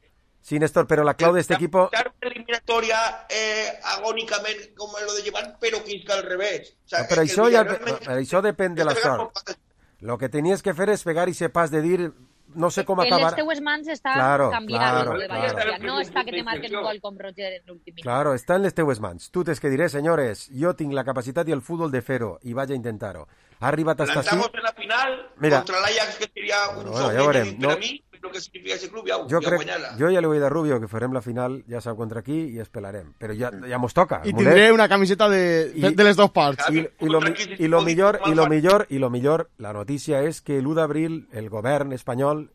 Sí, Néstor, però la clau d'este equipo... dar una eliminatoria eh, agònicament com lo de Llevant, però que és que al revés. O sea, No, però que això, el ja, Villarreal me- això depèn de la sort. Lo que tenies que fer és pegar i ser pas de dir... No sé com En les acabar... teues mans està Claro, canviant claro, lo de claro. València. No està que te marquen un gol com Roger en l'últim minut. Claro, està en les teues mans. Tu tens que dir, senyores, jo tinc la capacitat i el futbol de fer-ho, i vaig a intentar-ho. Ha arribat hasta així... Plantamos en la final Mira. contra l'Ajax, que seria un Bueno, somni ja veurem, per no- a mi, però que significa ese club, ja, Jo, ja crec, guanyar-la. jo ja li vull dir a Rubio que farem la final, ja sap contra qui, i esperarem. Però ja, ja mos toca. I mulet. tindré una camiseta de, de, I- de les dos parts. I, i, lo, mi- i lo millor, i lo millor, i lo millor, la notícia és que l'u d'abril el govern espanyol,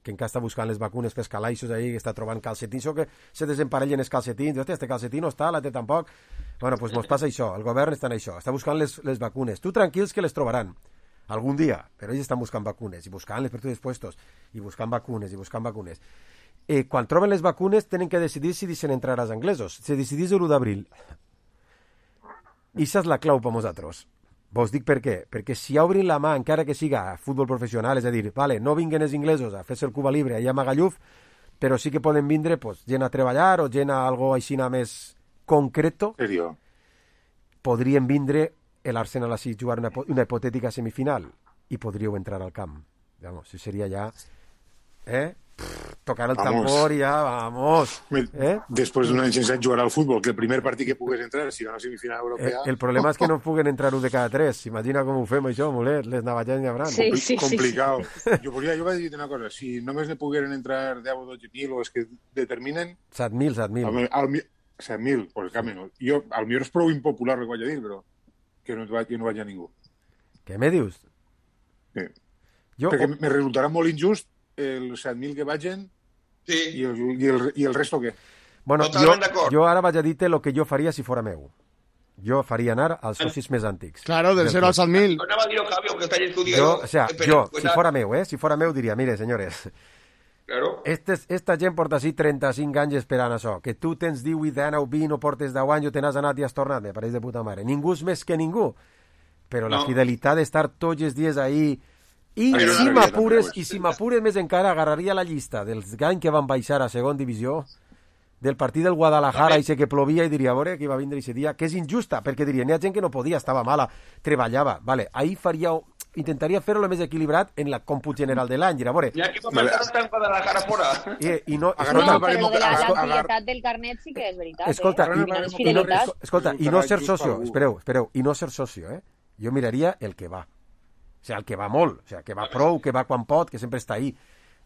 que encara està buscant les vacunes pels calaixos ahí, que està trobant calcetins, o que se desemparellen els calcetins, hòstia, este calcetín no està, la té tampoc. Bueno, pues mos passa això, el govern està en això, està buscant les, les vacunes. Tu tranquils que les trobaran, algun dia, però ells estan buscant vacunes, i buscant-les per tots els puestos, i buscant vacunes, i buscant vacunes. Eh, quan troben les vacunes, tenen que decidir si deixen entrar als anglesos. Se decidís l'u d'abril. I això és la clau per nosaltres. Vos dic per què. Perquè si obrin la mà, encara que siga a futbol professional, és a dir, vale, no vinguen els inglesos a fer-se el Cuba Libre allà a Magalluf, però sí que poden vindre pues, gent a treballar o gent a algo així més concreto. Serio? Podrien vindre l'Arsenal així jugar una, una hipotètica semifinal i podríeu entrar al camp. Vamos, si seria ja... Eh? Pff, tocar el Vamos. tambor i ja, vamos. Eh? Després d'un any sense jugar al futbol, que el primer partit que pugues entrar si una semifinal Eh, europea... el problema és que no puguen entrar un de cada tres. Imagina com ho fem això, mulet, les navallets n'hi haurà. Sí, sí, complicat. Sí. Jo, volia, jo vaig dir una cosa, si només ne pogueren entrar deu o dotze mil o els que determinen... set mil, set mil. Al, al, set mil, pues cap menys. Jo, al millor és prou impopular el que vaig a dir, però que no, vaig, que no vaig a ningú. Què me dius? Sí. Jo, Perquè me resultarà molt injust els set mil que vagin sí. i, el, i, el, i el resto què? Bueno, jo, jo ara vaig a dir-te el que jo faria si fora meu. jo faria anar als socis més antics. Claro, del zero al set mil. No anava a dir-ho, Javi, aunque está estudiado. Jo, o sea, Pero, jo, pues, si fora meu, eh, si fora meu, diria, mire, senyores, Claro. este, esta gent porta així trenta-cinc anys esperant això, que tu tens divuit, dinou, vint, no portes deu anys, o te n'has anat i has tornat, me pareix de puta mare. Ningú és més que ningú, però la No. fidelitat d'estar tots els dies ahí, i Però si no, m'apures, no, no, i si m'apures més encara, agarraria la llista dels anys que van baixar a segon divisió, del partit del Guadalajara, i sé que plovia, i diria, a veure, que va vindre aquest dia, que és injusta, perquè diria, n'hi ha gent que no podia, estava mala, treballava, vale, ahí faria, intentaria fer-ho el més equilibrat en la còmput general de l'any, a veure... Ya que vale. Estar en Guadalajara fora. I, i no, No, escolta, però lo de la, la escolta, fietat del carnet sí que és veritat. escolta, eh? i, Al final és i no, fidelitat. escolta, i no ser socio, espereu, espereu, i no ser socio, eh? Jo miraria el que va. O sigui, el que va molt, o sigui, que va prou, que va quan pot, que sempre està ahí.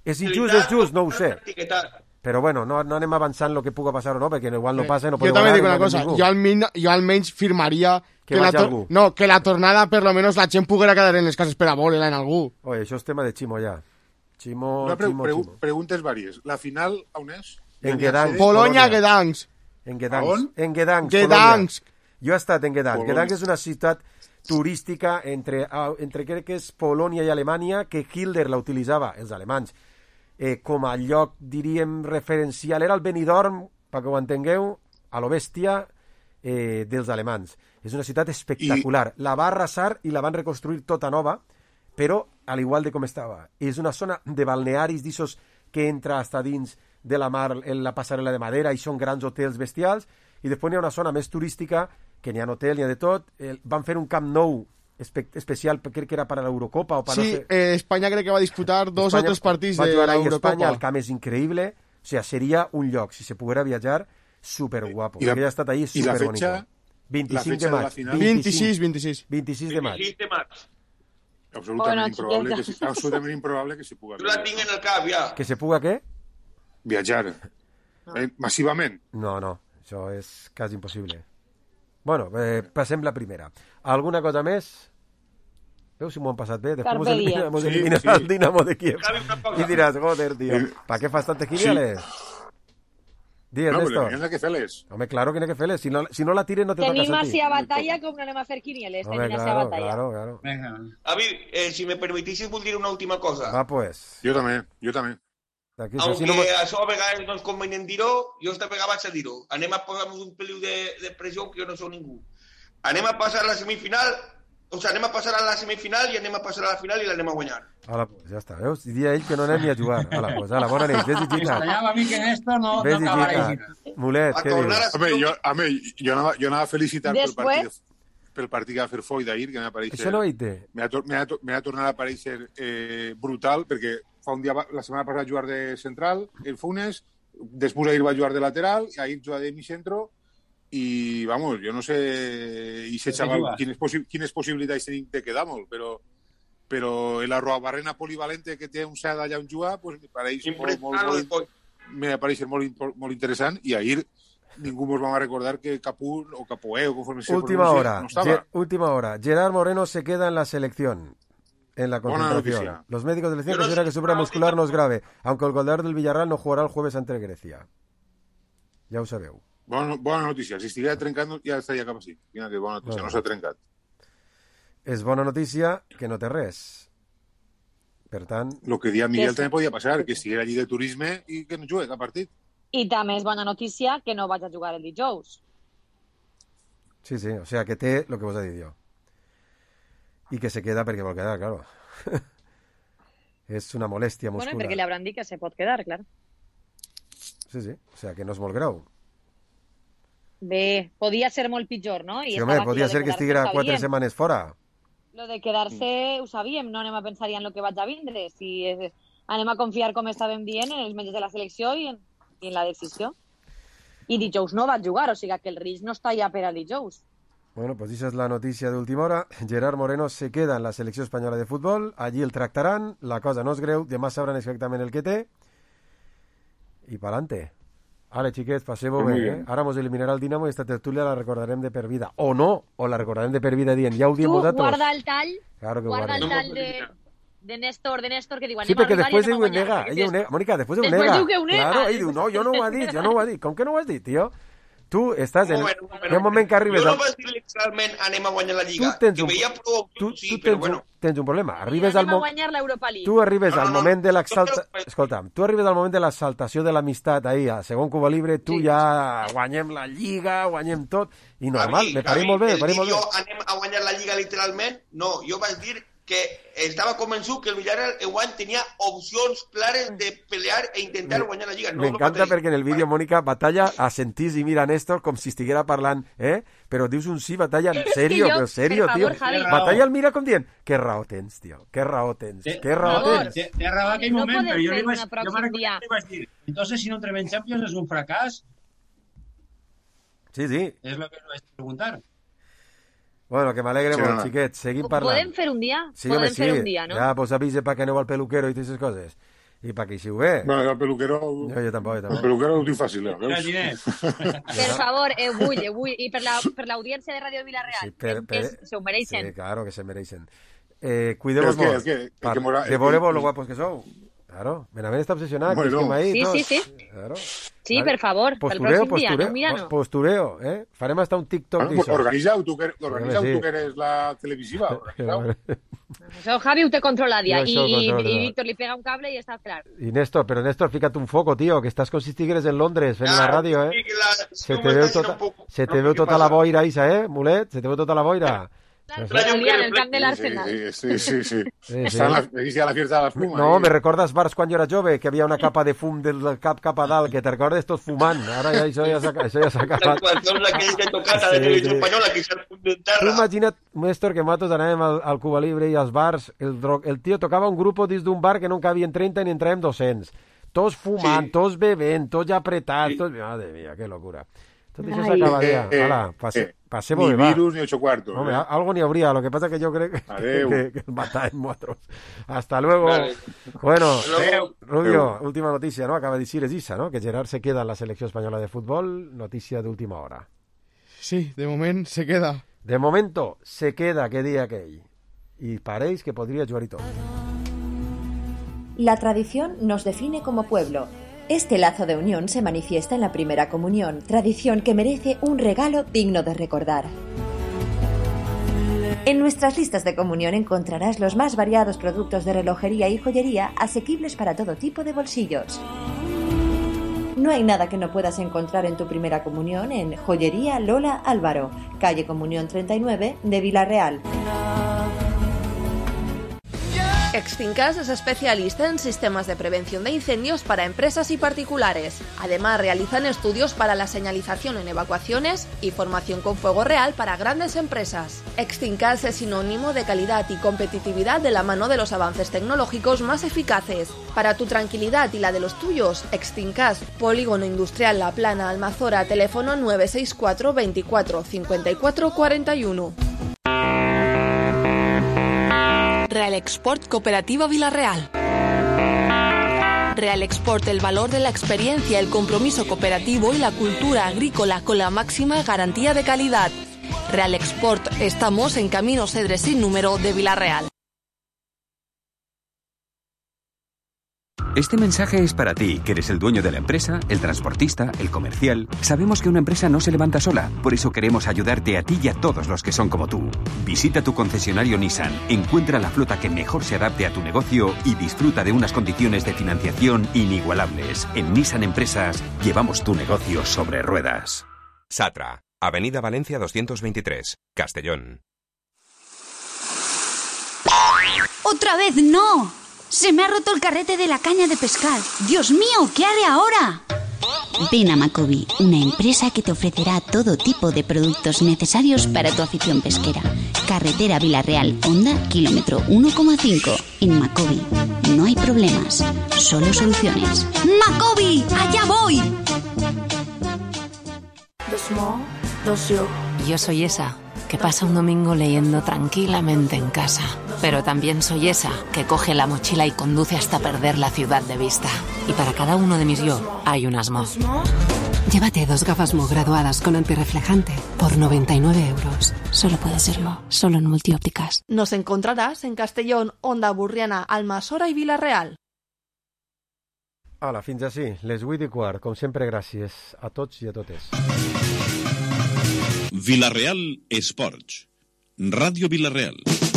És injust, és just, no ho sé. Però bueno, no, no anem avançant el que puga passar o no, perquè igual no passa i no Jo podeu també ganar dic i no una anem cosa, ningú. jo, almin, jo almenys firmaria Que que, la vagi tor- algú. no, que la tornada per lo menos la gent poguera quedar en les cases per a veure-la en algú. Oye, això és tema de Ximo ja. Ximo, Una pre Ximo, pre Ximo. preguntes varias. La final, on és? En Gdansk. Polonia, Gdansk. En Gdansk. On? En Gdansk, Gdansk. Polònia. Jo he estat en Gdansk. Polònia. Gdansk és una ciutat turística entre, ah, entre crec que és Polònia i Alemanya, que Hitler la utilitzava, els alemanys, eh, com a lloc, diríem, referencial. Era el Benidorm, perquè ho entengueu, a lo bèstia eh, dels alemans. És una ciutat espectacular. I... La va arrasar i la van reconstruir tota nova, però al igual de com estava. És una zona de balnearis d'issos que entra hasta dins de la mar en la passarel·la de madera i són grans hotels bestials, i després hi ha una zona més turística que n'hi ha hotel, n'hi ha de tot. Eh, van fer un Camp Nou espe especial, crec que era per a l'Eurocopa o per Sí, no sé... eh, Espanya crec que va disputar dos Espanya o tres partits va de jugar ahí l'Eurocopa. Espanya, el camp és increïble, o sea, seria un lloc, si se poguera viatjar, superguapo. I la- Perquè ja he estat ahí, i la superbonico. fetxa- vint-i-cinc la de fetxa de la maig. final? vint-i-sis, vint-i-sis. vint-i-sis de maig. vint-i-sis de maig. Absolutament Bueno, improbable, que, xiqueta. si- absolutament improbable que s'hi puga Jo la tinc en el cap, ja. Que se puga què? viatjar. Eh, massivament. No, no, això és quasi impossible. Bueno, eh, passem la primera. Alguna cosa més? Veus si m'ho han passat bé? Després Carpe mos elimina- diem. mos Sí, eliminarà sí. el Dinamo de Kiev. Javi, una cosa. I diràs, joder, tío, Eh, ¿para qué fas tantes quiniales? Digues, No, però Néstor. n'hi ha que fer-les. Home, claro que n'hi ha que fer-les. Si no, si no la tires no te toca Tenim a ti. així a batalla com no anem a fer quinieles. Home, Tenim així a claro, batalla. claro, claro. Venga. Javi, eh, si me permitís, vull dir una última cosa. Va, pues. Jo també, jo també. Aquí, Aunque si no me- això a vegades no és convenient dir-ho, jo esta vegada vaig a dir-ho. Anem a posar-nos un peliu de, de pressió, que jo no sóc ningú. Anem a passar a la semifinal, o sigui, anem a passar a la semifinal i anem a passar a la final i l'anem a guanyar. Ala, pues, ja està, veus? Diria ell que no anem ni a jugar. Ala, pues, ala, bona nit. Ves i Me gita. extrañaba a mí que en esto no, Ves no i acabaréis. gita. Mulet, A què tornar dius? a Home, jo, home, jo, anava, jo anava a felicitar pel Després- partit, pel partit que va fer Foy d'ahir, que m'ha apareixer... Això no ho he dit. M'ha tor m'ha tor m'ha tornat a aparèixer eh, brutal, perquè fa un dia, va- la setmana passada va jugar de central, el Funes, després ahir va jugar de lateral, i ahir jugar de mi centro, i, vamos, jo no sé, i ese Però què xaval, juga? quines, possi quines possibilitats tenim de quedar molt, però, però la roabarrena polivalente que té un Sada allà on juga, pues, me pareix molt, molt, Impressionant el molt, Foy. me pareix molt, impo- molt interessant, i ahir ningú ens va recordar que Capú o Capoe o conforme se Última pronuncie, hora. no estaba. Ge- última hora. Gerard Moreno se queda en la selección. En la Buena concentración. noticia. Los médicos de la selección Yo no consideran sé que su problema si muscular no es ahorita- grave, aunque el goleador del Villarreal no jugará el jueves ante Grecia. Ja ho sabeu. Bona, bona notícia. Si estigués trencant, ja estaria cap així. Mira que bona notícia, Bueno. no s'ha trencat. És bona notícia que no té res. Per tant, El que dia Miguel Que sí. també podia passar, que estigués allí de turisme i que no jugue cap partit. I també és bona notícia que no vaig a jugar el dijous. sí, sí, o sea, que té el que vos he dit jo. I que se queda perquè vol quedar, claro. És una molèstia Bueno, muscular. perquè li hauran dit que se pot quedar, clar. Sí, sí, o sea, que no és molt greu. Bé, podia ser molt pitjor, no? I Sí, estava home, aquí, podia lo de ser que quedar-se estiguera ho quatre sabíem. setmanes fora. Lo de quedar-se ho sabíem, no anem a pensar ja en lo que vaig a vindre. Si és, anem a confiar, com estàvem dient, en els metges de la selecció i en, i en la decisió. I dijous no vaig jugar, o sigui que el risc no està ja per al dijous. Bueno, pues esa es la noticia de última hora. Gerard Moreno se queda en la selecció espanyola de futbol. Allí el tractaran. La cosa no és greu. Demà sabran exactament el que té. I pa'lante. Vale, xiquets, passeu-ho Muy bé, bien. eh? Ara mos eliminarà el Dinamo i esta tertúlia la recordarem de per vida. O no, o la recordarem de per vida dient, ja ho diem Tu vosaltres. guarda el tall, Claro que guarda el guarda. tall de, de Néstor, de Néstor, que diu, Sí, anem a perquè arribar després i ell anem ho a guanyar. nega. Ell ho nega. Mònica, després ho Després nega. diu que ho nega. Claro, ell diu, no, jo no ho ha dit, jo no ho ha dit. Com que no ho has dit, tio? Tu estàs en... Bueno, bueno, Hi ha un moment que arribes... Jo no al- vaig dir literalment anem a guanyar la Lliga, Tu tens que un- veia prou Tu, sí, tu però tens, bueno. un, tens un problema. Arribes al Anem a moment... guanyar l'Europa League. Tu arribes No, al no, no. moment de No, l'exalta... però- Escolta'm, tu arribes al moment de l'exaltació de l'amistat ahir, a segon Cuba Libre, tu ja guanyem la Lliga, guanyem tot, i normal, Javi, me pareix Javi, molt bé, me el pareix dir molt bé. jo anem a guanyar la Lliga literalment, no, jo vaig dir que estava convençut que el Villarreal enguany tenia opcions clares de pelear e intentar guanyar la Lliga. No, M'encanta no perquè en el vídeo, Mònica, Batalla assentís i mira a Néstor com si estiguera parlant, eh? Però dius un sí, Batalla, en serio, jo, però serio, per favor, tio. Javi. Batalla el mira com dient, que raó tens, tio, que raó tens, que raó favor. tens. Té, té raó aquell No moment, podem però jo fer li vaig, una jo pròxim me'n recordo dia. que li vaig dir, entonces si no entrem en Champions és un fracàs, Sí, sí. és el que li vaig preguntar. Bueno, que m'alegre Sí, molt, no. xiquets, seguim parlant. Podem fer un dia? Sí, Podem home, sí. fer un dia, no? Ja, pues avise para que aneu al peluquero i aquestes coses. I para que hi siu bé. Bueno, jo el peluquero... Jo, jo tampoc, jo El tampoc. peluquero ho tinc fàcil, eh? Mira, veus? Ginés. Per favor, eh, vull, eh, vull. I per la- per l'audiència de Ràdio Vilareal, Sí, per- que per- se ho mereixen. Sí, claro, que se mereixen. Eh, cuidemos El que, molt. el que, el Pa- que mora- de el volemos que- lo guapos que sou. Claro, Benavent està obsessionat. Bueno. que estem ahí, Sí, tots. sí, sí. Claro. Sí, per favor, pel Postureo, pròxim dia, postureo, no? Mira, no. postureo, eh? Farem hasta un TikTok Bueno, pues d'això. organiza-ho, tu, que, organiza Sí. tu que eres la televisiva. Organiza-ho. Això Javi ho té controlat ja. Jo això ho I, controlo. i Víctor li pega un cable i està clar. I Néstor, però Néstor, fíjate un foco, tío, que estàs com si estigueres en Londres fent la ràdio, eh? Sí, que la, Se no te m'està veu dient tota, un poc- se te no, veu què tota passa? la boira, Isa, eh, Mulet? Se te veu tota la boira. Traia un en el camp de l'Arsenal. Sí, sí, sí. sí. Sí, Està sí. la, inicia la fiesta de la fuma. No, eh? me recordas bars quan jo era jove, que havia una capa de fum del cap cap a dalt, que te recordes tots fumant. Ara ja això ja s'ha això ja s'ha Les acabat. actuacions aquelles de tocata de Sí, televisió sí. espanyola que s'han punt de Tu terra. imagina't, Néstor, que nosaltres anàvem al, al Cuba Libre i als bars, el, dro- el tio tocava un grup dins d'un bar que no en cabien trenta ni entràvem dos-cents. Tots fumant, Sí. tots bevent, tots apretats, tots... Madre mía, que locura. Tot això Ai. s'acabaria. Eh, eh, Hala, passe, eh, passem-ho Ni bé, va. virus ni ocho cuartos. Hombre, eh? a- algo ni habría, lo que pasa que yo creo que, Adeu. que, que el matarem nosaltres. Hasta luego. Vale. Bueno, Adeu. Rubio, última noticia, ¿no? Acaba de decir es Isa, ¿no? Que Gerard se queda en la selección española de fútbol, noticia de última hora. Sí, de moment se queda. De momento, se queda, que día que hay. Y paréis que podría jugar y todo. La tradición nos define como pueblo. Este lazo de unión se manifiesta en la primera comunión, tradición que merece un regalo digno de recordar. En nuestras listas de comunión encontrarás los más variados productos de relojería y joyería asequibles para todo tipo de bolsillos. No hay nada que no puedas encontrar en tu primera comunión en Joyería Lola Álvaro, calle Comunión treinta y nueve de Vilareal. Extincas es especialista en sistemas de prevención de incendios para empresas y particulares. Además, realizan estudios para la señalización en evacuaciones y formación con fuego real para grandes empresas. Extincas es sinónimo de calidad y competitividad de la mano de los avances tecnológicos más eficaces. Para tu tranquilidad y la de los tuyos, Extincas, Polígono Industrial La Plana, Almazora, teléfono nueve seis cuatro veinticuatro cincuenta y cuatro cuarenta y uno. Real Export Cooperativa Vilareal. Real Export, el valor de la experiencia, el compromiso cooperativo y la cultura agrícola con la máxima garantía de calidad. Real Export, estamos en Camino Cedre sin número de Vilareal. Este mensaje es para ti, que eres el dueño de la empresa, el transportista, el comercial. Sabemos que una empresa no se levanta sola, por eso queremos ayudarte a ti y a todos los que son como tú. Visita tu concesionario Nissan, encuentra la flota que mejor se adapte a tu negocio y disfruta de unas condiciones de financiación inigualables. En Nissan Empresas llevamos tu negocio sobre ruedas. Satra, Avenida Valencia doscientos veintitrés, Castellón. ¡Otra vez no! ¡Se me ha roto el carrete de la caña de pescar! ¡Dios mío! ¿Qué haré ahora? Ven a Macobi, una empresa que te ofrecerá todo tipo de productos necesarios para tu afición pesquera. Carretera Vilareal, Honda, kilómetro uno coma cinco. En Macobi no hay problemas, solo soluciones. ¡Macobi! ¡Allá voy! Dos mo, dos yo. Yo soy esa que pasa un domingo leyendo tranquilamente en casa. Pero también soy esa que coge la mochila y conduce hasta perder la ciudad de vista. Y para cada uno de mis yo hay unas Mo. Llévate dos gafas Mo graduadas con antirreflejante por noventa y nueve euros. Solo puede ser Mo, solo en Multiópticas. Nos encontrarás en Castellón, Honda Burriana, Almasora y Vilareal. Hola, fins ací, les vuit i quart. Com sempre, gràcies a tots i a totes. Vila-real Esports. Ràdio Vila-real.